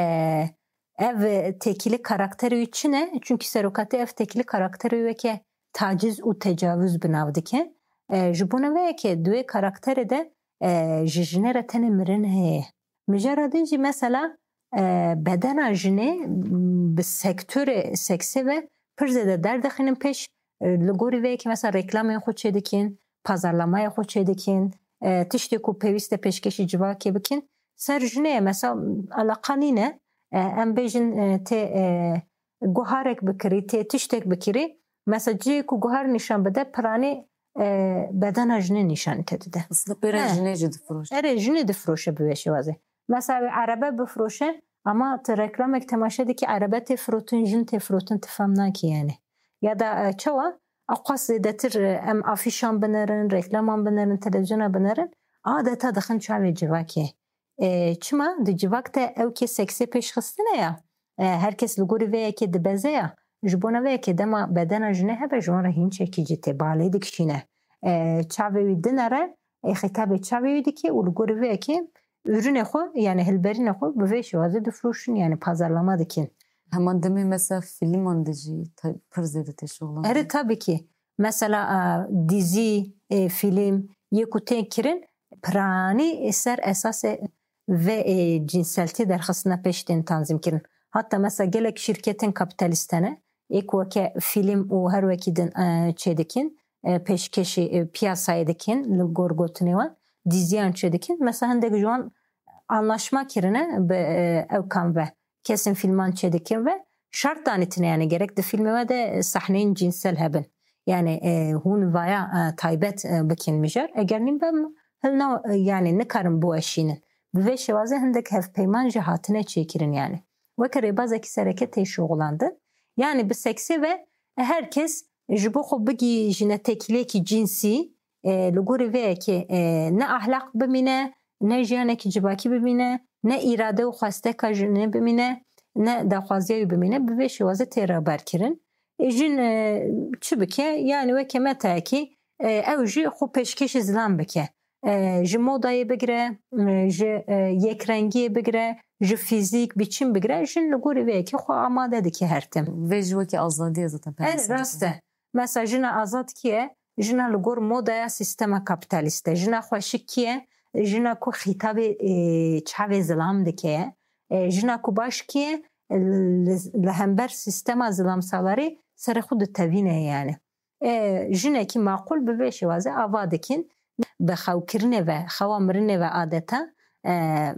ev têkilî karakterê wî çi ne? Çunkî serokatê ev têkilî karakterê wî weke taciz û tecavuz bi nav dike. E, ji bona vê yekê di wê karakterê de, e, ji jinê re tenê mirin heye. Mijara din jî mesela, e, bedena jinê, m, bi sektorê seksê ve pir zêde derdixînin pêş, e, li gorî vê yekê mesela reklamên xwe çêdikin, pazarlamayê xwe çêdikin, e, tiştê ku pêwîst e pêşkêşî civakê bikin, ser jinê ye. Mesela eleqa nîne, e, em bêjin, e, tê, e, guharek bikirî, tê tiştek bikirî, mesela cihê ku guhar nîşan bide, piranî, e, bedena jinê nîşanî te dide. Aslında pêra He. jinê jî difiroşe. Erê, jinê difiroşe bi vê şêwazê. Mesela wê erebe bifiroşe, ama tu reklamek temaşe dikî, erebe tê firotin, jin tê firotin, tu fem nakî yani. Ya da, e, çawa, aqas zêdetir, e, em afîşan binerin, reklaman binerin, televizyona binerin, adeta dixin çavê civakê. E, çima? Di civak de ew kê seksê pêşxistine ya. E, her kes li gorî vê yekê dibeze ya. Ji bona vê yekê dema bedena jinê hebe, ji wan re hîn çekî cî tê, balê dikişîne. E, çavê wî dinere, e, xîtabê çavê wî dike û li gorî vê yekê ürünê xwe, yani hilberînê xwe bi vê şêwazê difiroşin, yani pazarlama dikin. Heman demê mesela fîlman de jî te-, pir zêde têşoxlan. Erê, tabii ki. Mesela, e, dizî, e, fîlm, yê ku tên kirin, piranî ser esasê vê, e, cinseltî derxistina pêş tên tanzîm kirin. Hatta mesela gelek şîrketên kapîtalîst hene, ê ku weke fîlm û her wekî din, e, çêdikin, e, pêşkêşî, e, piyasayê dikin, li gor gotinê wan, diziyan çêdikin. Mesela hindek ji wan anlaşma kirine bi, e, ew kam ve, kesên fîlman çêdikin ve şert danîtine, yani gerek di fîlmê we de sahneyên cinsel hebin. Yani, e, hûn vaya, e, taybet, e, bikin mijar. Eger nîn be, hilna, e, yani nikarin biweşînin. Bi vê şêwazê hindek hevpeyman jî hatine çêkirin yani. Weke rêbazekî sereke tê şoxlandin. Yani bi seksê ve her kes ji bo xwe bigihîjine têkiliyekî cinsî, e, li gorî vê yekê, e, ne ahlak bimîne, ne jiyanekî civakî bimîne, ne îrade û xwesteka jinê bimîne, ne daxwaziya wî bimîne, bi vê şêwazê tê rêberkirin. E, jin, e, çi bike? Yani weke metayekî, e, ew jî xwe pêşkêşî zilam bike. E, ji modayê bigire, e, ji, e, yekrengiyê bigire, ji fîzîk, biçim bigire, jin li gorî vê yekê xwe amade dike her tim. Vê jî wekî azadî ye zaten. Erê, rast e. Mesela jina azad kî ye? Jina li gor modaya sîstema kapîtalîst e. Jina xweşik kî ye? Jina ku xîtabê, e, çavê zilam dike ye. E, jina ku baş kî ye? Li, li hember sîstema zilamsalarî serê xwe ditevîne yani. E, jinekî maqûl bi vê şêwazê ava dikin. Bi xewkirinê ve, xewa mirinê ve adeta, e,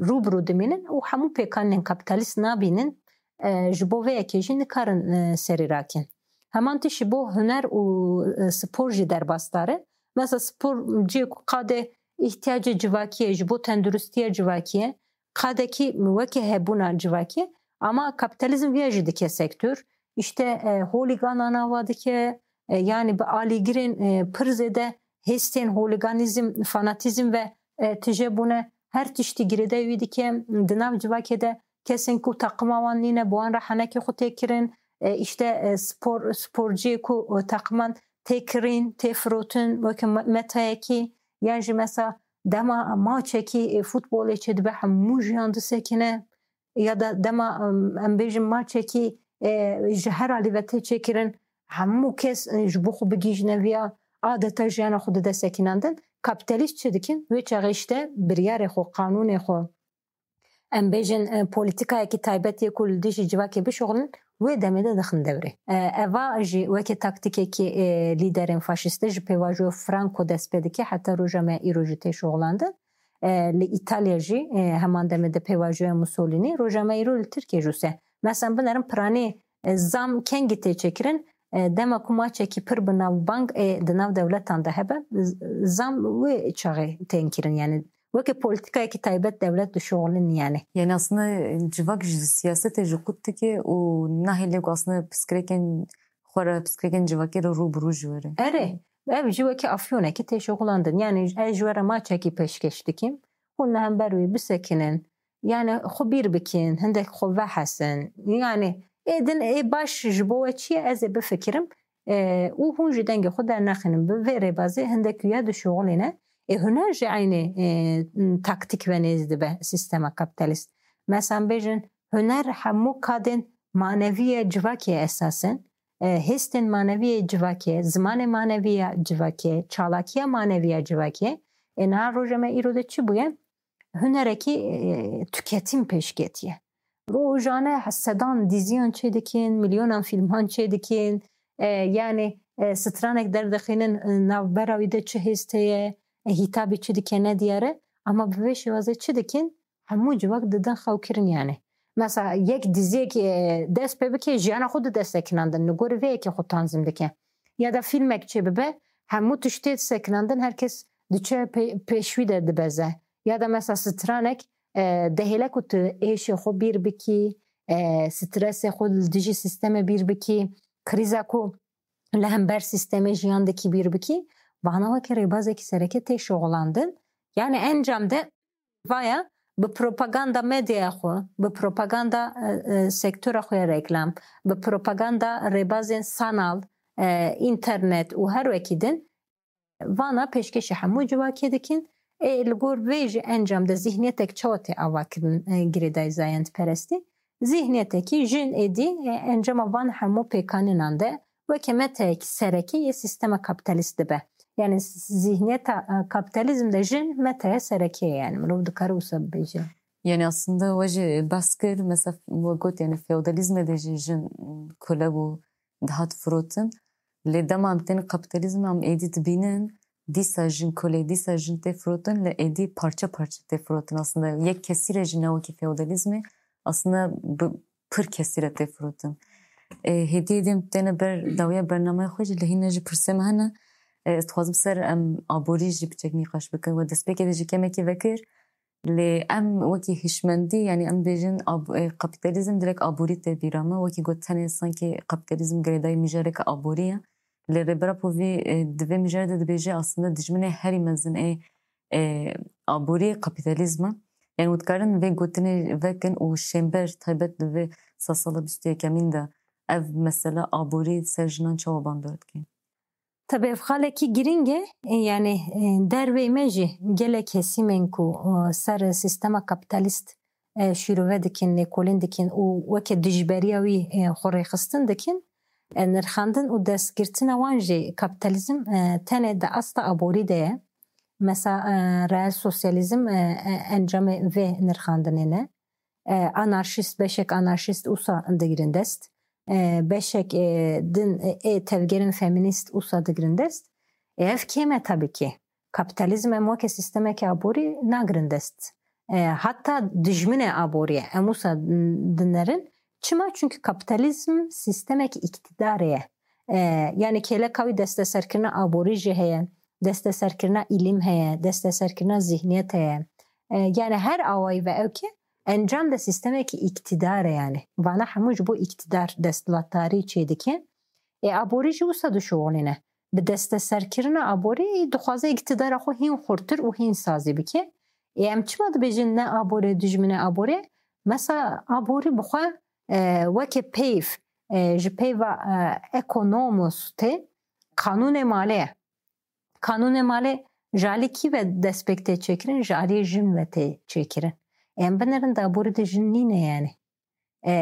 rû bi rû dimînin û hemû pêkanên kapîtalîst nabînin, e, ji bo vê yekê jî nikarin, e, serî rakin. Heman tişt ji bo huner û, e, spor jî derbasdar e. Mesela spor cihê ku qadê îhtiyacê civakî ye, ji bo tenduristiya civakî ye, qadekî weke hebûna civakî ye, ama kapîtalîzm viya jî dike sektor. Îşte, e, holîganan ava dike, e, yani bi alîgirên, e, pir zêde hêstên holîganîzm, fanatîzm ve, e, tije bûne. Her tiştî girêdayî wî dike. Di nav civakê de kesên ku taqima wan nîne, bi wan re henekê xwe tê kirin. E, îşte, e, spor, sporciyê ku, e, taqiman tê kirîn, tê firotin, weke me-, metayekî, yan jî mesela dema maçekî, e, futbolê çêdibe, hemû jiyan disekine. Ya da dema, em, em bêjin maçekî, e, ji her alî ve tê çêkirin, hemû kes, e, ji bo xwe bigihîjine viya, adeta jiyana xwe dide sekinandin. Kapîtalîst çi dikin? Wê çaxê işte biryarê xwe, qanûnê xwe, em bêjin, e, polîtîkayekî taybet yê ku li dijî civakê bişuxulin, wê demê de dixin dewrê. E, eva jî weke taktîkekî, e, lîderên faşîstê ji pêvajoya Franco dest pê dike, heta roja me îro jî tê şuxulandin. E, li Îtalya jî, e, heman demê de pêvajoya Mussolini, roja me îro li Tirkiye jî wisa. Mesela binerin piranî, e, zam kengî tê çêkirin, e, dema ku maçekî pir bi navbang, e, di nav dewletan de hebe, z-, zam wê çaxê tên kirin, yani weke polîtîkayekî taybet dewlet dişuxulin yani. Yani aslında civak ji siyasetê jî qut dike û nahêle ku aslında pirsgirêkên xwe re, pirsgirêkên civakê re rû bi rû jî were. Erê, ev jî weke afyonekî tê şuxulandin. Yani ez ji we re maçekî pêşkêş dikim. Hûn li hember wê bisekinin. Yani xwe bîr bikin, hindek xwe vehesin. Yani ê din ê baş ji bo we çi ye, ez ê bifikirim. E, û hûn jî dengê xwe dernexînin. Bi vê rêbazê hindek ya dişuxulîne. Ê huner jî eynî, e, taktîk ve nêz dibe sîstema kapîtalîst. Mesela bêjin, Huner hemû kadên manevî ya civakê esas in. E, hêstên manevî ya civakê, zimanê manevî ya civakê, çalakiya manevî ya civakê. E, niha roja me îro de çi bûye? Hunerekî, e, tüketim pêşketiye. Rojane sedan diziyan çêdikin, milyonan fîlman çêdikin. E, yani, e, stranek derdixînin, e, navbera wî de çi hêst heye, e, hîtabî çi dike ne diyar e. Ama bi vê şêwazê çi dikin? Hemû civak didin xewkirin yani. Mesela yek diziyek, e, dest pê bike, jiyana xwe dide sekinandin. Li gorî vê yekê xwe tanzîm dike. Ya da fîlmek çê bibe, hemû tiştê sekinandin, her kes diçe pê-, pêş wî de dibeze. Ya da mesela stranek, e, dihêle ku tu êşê xwe bîr bikî, e, stresê xwe li dijî sîstemê bîr bikî, krîza ku li hember sîstemê jiyan dikî bîr bikî, vana weke rêbazekî sereke tê şoxlandin. Yani encam de vaya bi propaganda medyaya xwe, bi propaganda, e, e, sektora xwe ya reklam, bi propaganda rêbazên sanal, e, înternet û her wekî din vana pêşkêşî hemû civakê dikin. Ê, li gor vê jî encam de zîhniyetek çawa tê avakirin, e, girêdayî zayendperestî? Zîhniyetekî jin êdî, e, encama van hemû pêkanînan de weke meteyek sereke yê sîstema kapîtalîst dibe. Yani zîhniyeta, e, kapîtalîzm de jin meteya sereke ye, yani mirov dikare wisa bibêje. Yani aslında we jî behs kir, mesela we got yani feodalîzmê de jî jin kole bû, dihat firotin. Lê dema em tên kapîtalîzmê em êdî dibînin, dîsa jin kole, dîsa jin tê firotin, lê êdî parçe parçe tê firotin. Aslında yek kesî re jî ne wekî feodalîzmê, aslında bi pir kesî re tê firotin. E, hêdî hêdî em têne ber dawiya bernameya xwe jî, lê hîne jî pirsê me hene. E, ez dixwazim ser em aborî jî biçek nîqaş bikin. We destpêkê de jî kemekî vekir. Lê em wekî hişmendî, yani em bêjin ab-, e, kapîtalîzm direkt aborî tê bîra me. Wekî got tenê sankî kapîtalîzm girêdayî mijareke aborî ye. Lê Rêber Apo vî, e, di vê mijarê de dibêje aslında dijminê herî mezin ê, e, aborî kapîtalîzm e. Yani hûn dikarin vê gotinê vekin û şênber taybet di vê sedsala bîst û yekemîn de ev mesela aborî ser jinan çawa bandor dike? Tabii ev xalekî girîng e, e, yani, e, derveyî me jî gelek kesîmên ku, e, ser sîstema kapîtalîst, e, şîrove dikin, lêkolîn dikin û weke dijberiya wî, e, xwe rêxistin dikin. E, nirxandin û destgirtina wan jî kapîtalîzm, e, tenê di asta aborî de ye. Mesela, e, reel sosyalîzm, e, e, encamê vê nirxandinê ne. E, anarşîst, beşek anarşîst wisa digirin dest. E, beşek, e, din, e, ê tevgerên feminîst wisa digirin dest. E, ev kêm e tabii ki. Kapîtalîzm em weke sîstemeke aborî nagirin dest. E, hatta dijminê aborî ye. Em wisa dinerin. Çima? Çünkü kapîtalîzm sîstemeke îktîdarê ye. E, yani kêleka wî desteserkirina aborî jî heye, desteserkirina îlim heye, desteserkirina zîhniyet heye. E, yani her awayî ve ew ke encam de sîstemekî îktîdar e yani. Vana hemû ji bo îktîdar desthilatdarî çêdike. Ê aborî jî wisa dişuxulîne. Bi desteserkirina aborî dixwaze îktîdara xwe hîn xurtir û hîn sazî bike. Ê em çima dibêjin ne aborê dijminê aborê? Mesela aborî bi xwe, e, weke peyv, e, ji peyva, e, economos tê, qanûnê malê ye. Qanûnê malê ji alî kî ve destpêk tê çêkirin? Ji aliyê jin ve tê çêkirin. Em binerin di aborî de jin nîne yani. E,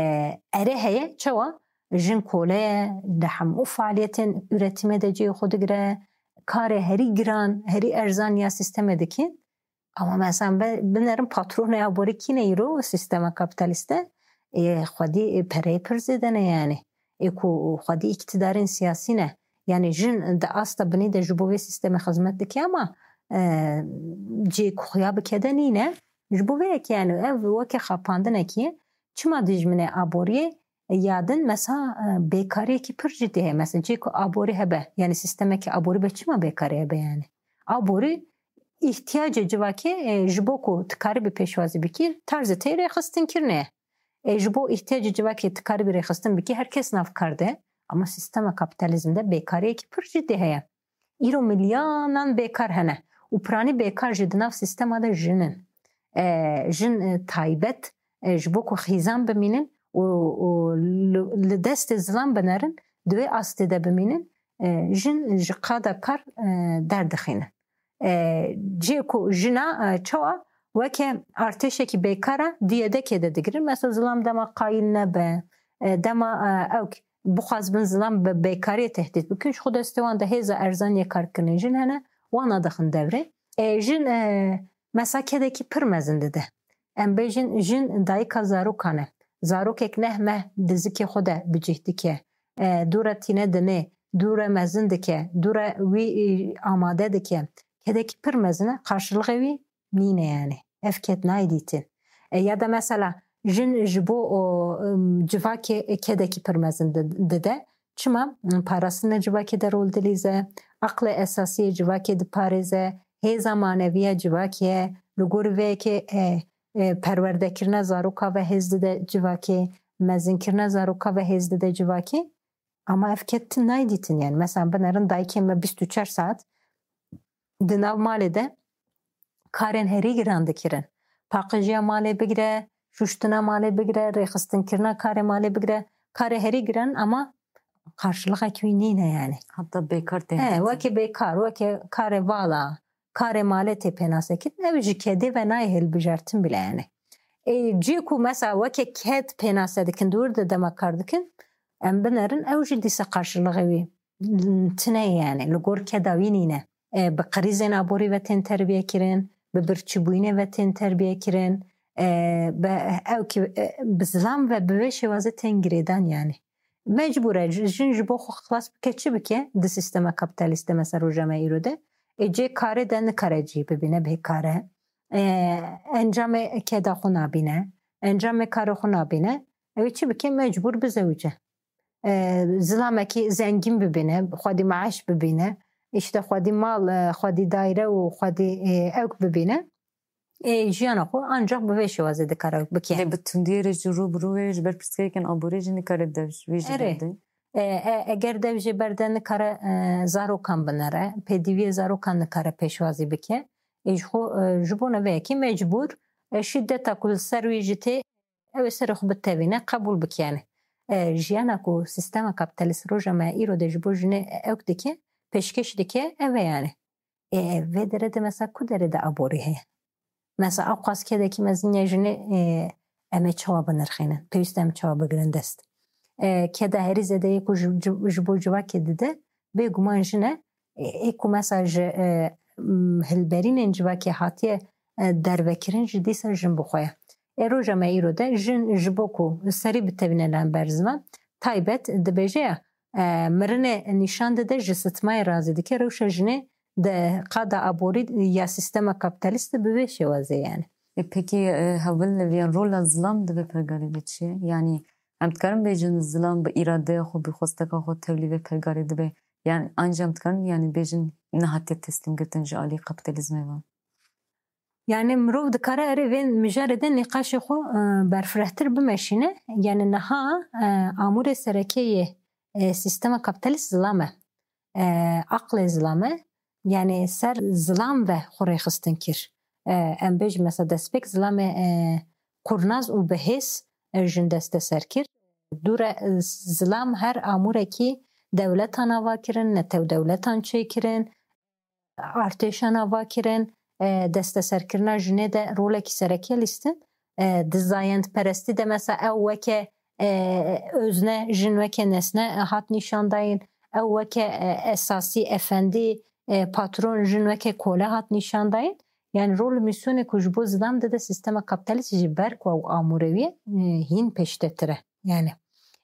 erê heye, çawa? Jin kole ye, di hemû faaliyetên üretimê de cihê xwe digire, karê herî giran, herî erzan ya sîstemê dikin. Ama mesela be-, binerin patronê aborî kî ne îro sîstema kapîtalîst de? Ê xwedî, ê pereyê pir zêde ne yani. Ê ku xwedî îktidarên siyasî ne. Yani jin di asta binî de ji bo vê sîstemê xizmet dike ama, e, cihê ku xuya bike de nîne. Ji bo vê yekê yani ev weke xapandinekî ye. Çima dijminê aboriyê? Ya din mesela, e, bêkariyekî pir cidî heye. Mesela cihê ku aborî hebe, yani sîstemeke aborî be çima bêkarî hebe yani? Aborî îhtiyacê civakê, e, ji bo ku tu karibî pêşwazî bikî, tarzê tê rêxistinkirinê ye. E, ji bo îhtiyacê civakê tu karibî rêxistin bikî, her kes nav kar de. Ama sîstema kapîtalîzm de bêkariyekî pir cidî heye. Îro milyanan bêkar hene û piranî bêkar jî di nav sîstema de jin in. E, jin, e, taybet, e, ji bo ku xîzan bimînin û, û li, li destê zilam binerin, di wê astê de bimînin, e, jin ji qada kar, e, derdixînin. E, cihê ku jina, e, çawa Weke artêşekî bêkar e, di yedekê de digirin. Mesela zilam dema qayîl nebe, e, dema, e, ewk bixwazibin zilam bi bêkariyê tehdît bikin, ji xwe destê wan de hêza erzan yê karkirinê jin hene, wan nadixin devrê. E, jin, e, mesela kedekî pir mezin dide. Em bêjin jin dayika zarokan e. Zarokek neh meh di zikê xwe de bi cih dike. E, dû re tîne dinê, dû re mezin dike, dû re wî, e, amade dike. Kedekî pir mezin e, qarşilixê wî nîne yani. Ev ked nayê dîtin. E, ya da mesela jin ji bo o, ım, civakê kedekî pir mezin di-, dide. Çima? Parastina civakê de rol dilîze, aqlê esasî yê civakê diparêze, hêza maneviya civakê ye, li gor vê yekê, e, e, perwerdekirina zaroka ve hêz dide civakê, mezinkirina zaroka ve hêz dide civakê. Ama ev ked tu nayê dîtin yani. Mesela binerin dayikê me bîst û çar saet di nav malê de karên herî giran dikirin. Paqijiya malê bigire, şuştina malê bigire, rêxistinkirina karê malê bigire. Karê herî giran ama qarşilixek wî nîne yani. Hatta bêkar tê. He, wekî bêkar, wekî karê vala, karê malê tê pênasekirin, ew ji kedê ve nayê hilbijartin bile yani. Ê, cî ku mesela weke ked pênase dikin, dûr de dema kar dikin, em binerin, ew jî dîsa qarşilixê wî tine ye yani, li gor keda wî nîne. E, bi qirîzên aborî ve tên terbiye kirin, bi birçîbûyînê ve tên terbiye kirin, e, bi, ew ki, e, bi zilam ve bi vê şêwazê tên girêdan yani. Mecbûr e, ji-, jin ji bo xwe xilas bike, çi bike di sîstema kapîtalîst de, mesela roja me îro de, ê cê karê de nikare cî bibîne, bêkar e. E, encamê keda xwe nabîne, encamê karê xwe nabîne. Ew ê çi bike? Mecbûr bizewice. E, zilamekî zengîn bibîne, xwedî meaş bibîne, îşte xwedî mal, e, xwedî daîre û xwedî, e, ewk bibîne. Ê, jiyana xwe ancak bi vê şêwazê dikare bike. Lê bi tundiyê re jî rû bi rû wê ji ber pirsgirêkên aborî jî nikare dev ji wê jî Erê. berdê. E, e, eger dev jê berde nikare, e, zarokan binere, pêdiviyê zarokan nikare pêşwazî bike. Ê, ji xwe, e, ji bona vê yekê mecbûr, e, şîdeta ku li ser wî jî tê, ew ê serê xwe bitevîne, qebûl bike yani. E, jiyana ku sîstema kapîtalîst roja me îro de ji bo jinê ewk dike, pêşkêş dike, ev e yani. Ê, vê derê de mesela ku derê de aborî heye? Mesela ewqas kedekî mezin ya jinê, ê, em ê çawa binirxînin? Pêwîst e em çawa bigirin dest? Ê, keda herî zêde yê ku ji, ji, ji bo civakê dide, bêguman jin e. Ê, ê ku mesela ji, ê, m, hilberînên civakê hatiye, ê, dervekirin jî dîsa jin bi xwe ye. Ê, roja me îro de jin ji bo ku serî bitevîne li hember ziman, taybet dibêje ya, e, mirinê nîşan dide, ji sitmayê razî dike, rewşa jinê di qada aborî ya sîstema kapîtalîst de bi vê şêwazê yani. E, pekî, e, hevalên hevî, yan rola zilam di vê pergalê de çi ye? Yanî em dikarin bêjin zilam bi îradeya xwe, bi xwesteka xwe tevlî vê pergalê dibe? Yan anca em dikarin, yanî bêjin nehatiye teslîmgirtin ji alî kapîtalîzmê ve? Yani mirov dikare erê vê mijarê de nîqaşê xwe, e, berfirehtir bimeşîne. Yani niha, e, amûrê sereke yê, e, sîstema kapîtalîst zilam e. E, aqlê zilam e. Yani ser zilam ve xwe rêxistin kir. E, em bêjin mesela destpêk zilamê, e, qurnaz û bihêz, e, jin desteser kir. Dûre, e, zilam her amûrekî dewletan ava kirin, netew dewletan çêkirin, artêşan ava kirin, e, desteserkirina jinê de rolekî sereke lîstin. E, di zayendperestî de mesela ew weke, e, özne, jin weke nesne, e, hat nîşan dayîn, ew weke, e, esasî, efendî, e, patron, jin weke kole hat nîşan dayîn. Yani rol û mîsyonê ku ji bo zilam dide sîstema kapîtalîst ji ber ku ew amûre wî, e, hîn pêştetir e. Yani,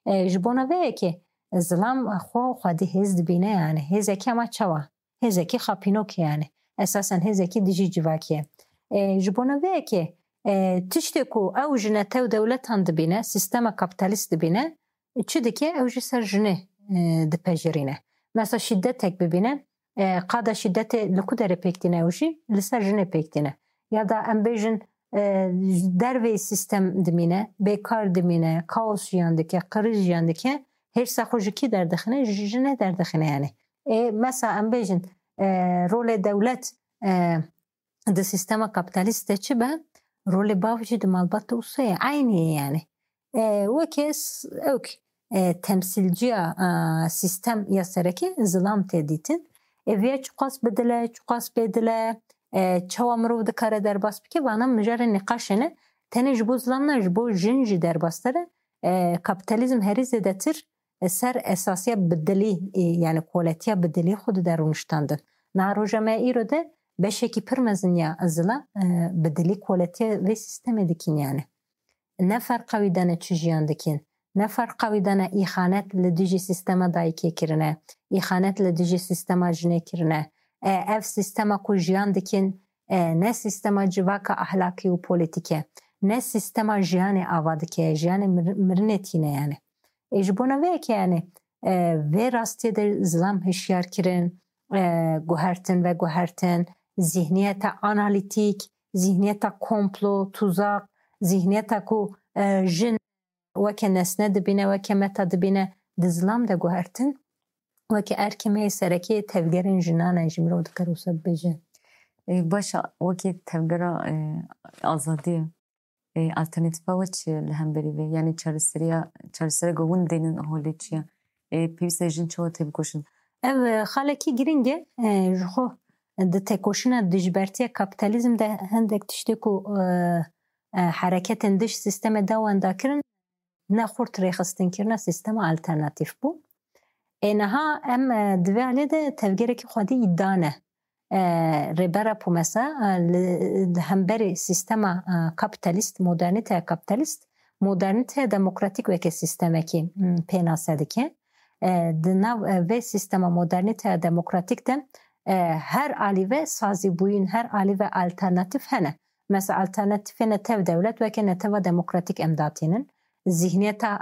e, ji bona vê yekê zilam xwe xwedî hêz dibîne yani. Hêzekî ama çawa? Hêzekî xapînokê yani. Esasen hêzekî dijî civakê ye. E, ji bona vê yekê, e, tiştê ku ew ji netew dewletan dibîne, sîstema kapîtalîst dibîne, çi dike? Ew jî ser jinê, e, dipejirîne. Mesela şîdetek bibîne, e, qada şîdetê li ku derê pêk tîne ew jî? Li ser jinê pêk tîne. Ya da em bêjin, e, ji derveyî sîstem dimîne, bêkar dimîne, kaos jiyan dike, qirîz jiyan dike, hêrsa xwe ji kî derdixine? Ji jinê derdixine yani. Ê, mesela em bêjin, e, rolê dewlet, e, di sîstema kapîtalîst de çi be? Rolê bav jî di malbata wisa ye. Eynî ye yani. E, weke s-, ewk, e, temsîlciya, e, sîstem ya sereke zilam tê dîtin. Ê, viya çiqas bi dil e, çiqas bê dil e, E, çawa mirov dikare derbas bike, vana mijarê nîqaşê ne. Tenê ji bo zilam ne, ji bo jin jî derbastir e. E, kapîtalîzm herî zêdetir, e, ser esasiya bi dilî, e, yani koletiya bi dilî xwe dide rûniştandin. Niha roja me îro de beşekî pir mezin ya zilam, e, bi dilî koletiya vê sîstemê dikin yani. Ne ferqa wî de ne çi jiyan dikin. Ne ferqa wî de ne îxanet li dijî sîstema dayikê kirine, îxanet li dijî sîstema jinê kirine. E, ev sîstema ku jiyan dikin, e, ne sîstema civaka ahlakî û polîtîk e, ne sîstema jiyanê ava dike, jiyanê mir-, mirinê tîne yani. E, ji bona vê yekê yani, e, vê rastiyê de zilam hişyar kirin, e, guhertin ve guhertin, zihniyeta analîtîk, zihniyeta komplo, tuzak, zihniyeta ku, e, jin weke nesne dibîne, weke meta dibîne, di zilam de guhertin, weke erkê me yê serekê tevgerên jinan e, ji mirov dikare wisa bibêje. E, baş e, wekî tevgera, e, azadiyê, e, alternatîfa we çi ye li hemberî vê? Yanî çareseriya, çaresereke hûn dênin holê çi ye? E, pêwîst e jin çawa têbikoşin? Ev, e, xalekî girîng e, e, ji xwe di têkoşîna dijbertiya kapîtalîzm de hindek tiştê ku, e, e, hereketên dij sîstemê de wenda kirin, ne xurt rêxistin kirina sîstema alternatîf bû. Ê niha em, e, di vê alê de tevgerekî xwedî îda ne. E, Rêber Apo mesela, e, li, li hemberî sîstema, e, kapîtalîst, modernîteya kapîtalîst, modernîteya demokratîk weke sîstemekî, m, pênase dike. E, di nav, e, vê sîstema modernîteya demokratîk de, e, her alî ve sazîbûyîn, her alî ve alternatîf hene. Mesela alternatîfê netew dewlet weke neteva demokratîk em datînin. Zihniyeta,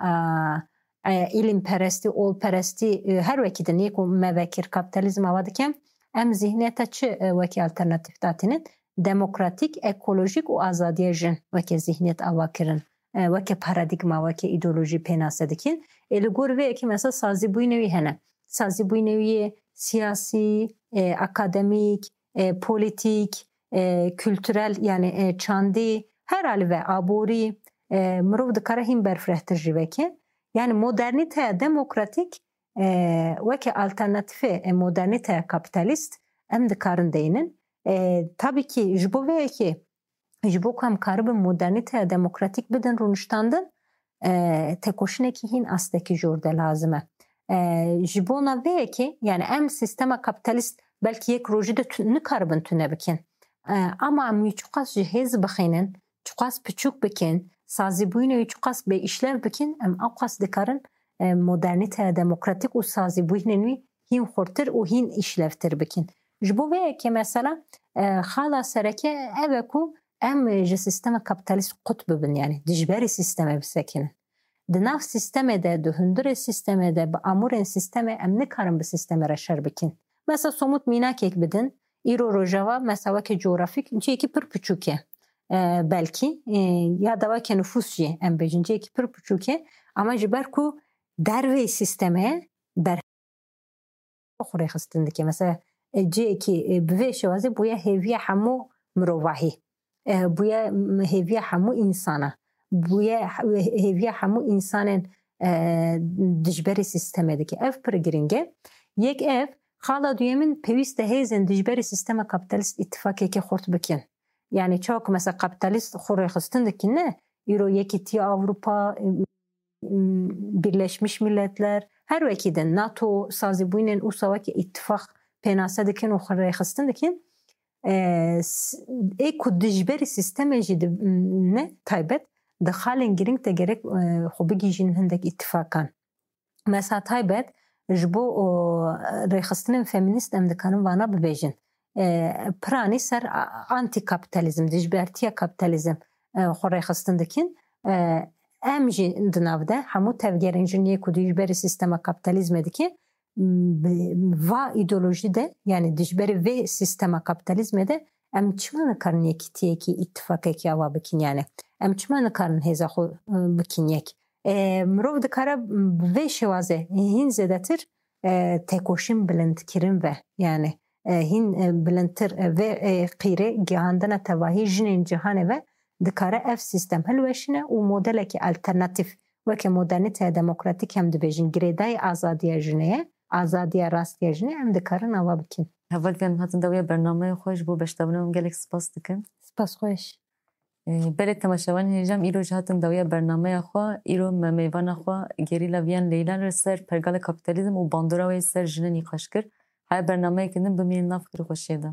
e, e, îlimperestî, olperestî, e, her wekî din yê ku me vekir kapîtalîzm ava dike, em zihniyeta çi, e, wekî alternatîf datînin? Demokratîk, ekolojîk û azadiya jin weke zihniyet ava kirin, e, weke paradîgma, weke îdeolojî pênase dikin. Ê li gor vê yekê mesela sazîbûyînê wî hene. Sazîbûyînê wî yê siyasî, e, akademîk, e, polîtîk, e, kulturel, yani, e, çandî, her alî ve aborî, e, mirov dikare hîn berfirehtir jî veke. Yani modernîteya demokratîk, e, weke alternatîfê, e, modernîteya kapîtalîst em dikarin deynin. E, tabii ki ji bo vê yekê, ji bo ku em karibin modernîteya demokratîk bidin rûniştandin, e, têkoşînekî hîn astekî jor de lazim e. E, ji bona vê yekê, yani em sîstema kapîtalîst belkî yek rojî de tu-, nikaribin tune bikin. E, ama em wî çiqas ji hêz bixînin, çiqas piçûk bikin, sazîbûyînê wî çiqas bêîşlev bikin, em ewqas dikarin, e, modernîteya demokratîk û sazîbûyînên wî hîn xurtir û hîn îşlevtir bikin. Ji bo vê yekê mesela, e, xala sereke ev e ku em ji sîstema kapîtalîst qut bibin, yani dijberî sîstemê bisekinin. Di nav sîstemê de, di hundirê sîstemê de, bi amûrên sîstemê em nikarin bi sîstemê re şer bikin. Mesela somût mînakek bidin, îro Rojava mesela weke coğrafîk cihekî pir piçûk e. E, belkî, e, ya da weke nifûs jî em bêjin cihekî pir piçûk e. Ama ji ber ku dervê sîstemê ber xwe rêxistin dike. Mesela, e, cihekî, e, bi vê şêwazê bûye hêviya hemû mirovahî. E, bûye, m-, hêviya hemû însana. Bûye he-, hêviya hemû însanên, e, dijberî sîstemê dike. Ev pir girîng e. Yek ev, xala duyemîn pêwîst e hêzên dijberî sîstema kapîtalîst îtîfakekê xurt bikin. Yani çawa ku mesela kapîtalîst xwe rêxistin dikin ne, îro Yekîtiya Ewropa, Birleşmiş Milletler, her wekî din, NATO, sazîbûyînên ûsa weke îtîfaq pênase dikin û xwe rêxistin dikin. E, s-, ê ku dijberî sîstemê jî di, ne taybet, di xalên girîng de gerek, e, xwe bigihîjin hindek îtîfakan. Mesela taybet, ji bo, o, rêxistinên femînîst em dikarin vana bibêjin. E, piranî ser a-, antîkapîtalîzm, dijbertiya kapîtalîzm, e, xwe rêxistin dikin. E, em jî di nav de hemû tevgerên jin yê ku dijberî sîstema kapîtalîzmê dike, bi va îdeolojî de, yani dijberî vê sîstema kapîtalîzmê de em çima nikarin yekîtiyekî, îtîfaqekî ava bikin yani? Em çima nikarin hêza xwe, e, bikin yek? E, mirov dikare bi vê şêwazê hîn zêdetir, e, têkoşîn bilindkirin ve, yani, e, hîn, e, bilindtir, e, vê, e, qîrê gihandina tevahî jinên cîhanê ve dikare ev sîstem hilweşîne û modelekî alternatîf weke modernîteya demokratîk em dibêjin girêdayî azadiya jinê ye, azadiya rast ya jinê em dikarin ava bikin. Heval em hatin dawiya bernameya xwe, ji bo beşdabûna hûn gelek spas dikim. Spas xweş. Ee, Belê temaşevanên hêja, îro jî hatin dawiya bernameya xwe. Îro me mêvana xwe Gerîla Viyan Leyla li ser pergalê kapîtalîzm û bandora wê ser jinê nîqaş kir. Haya bernameyeke din bimînin nav xêr û xweşiyê de.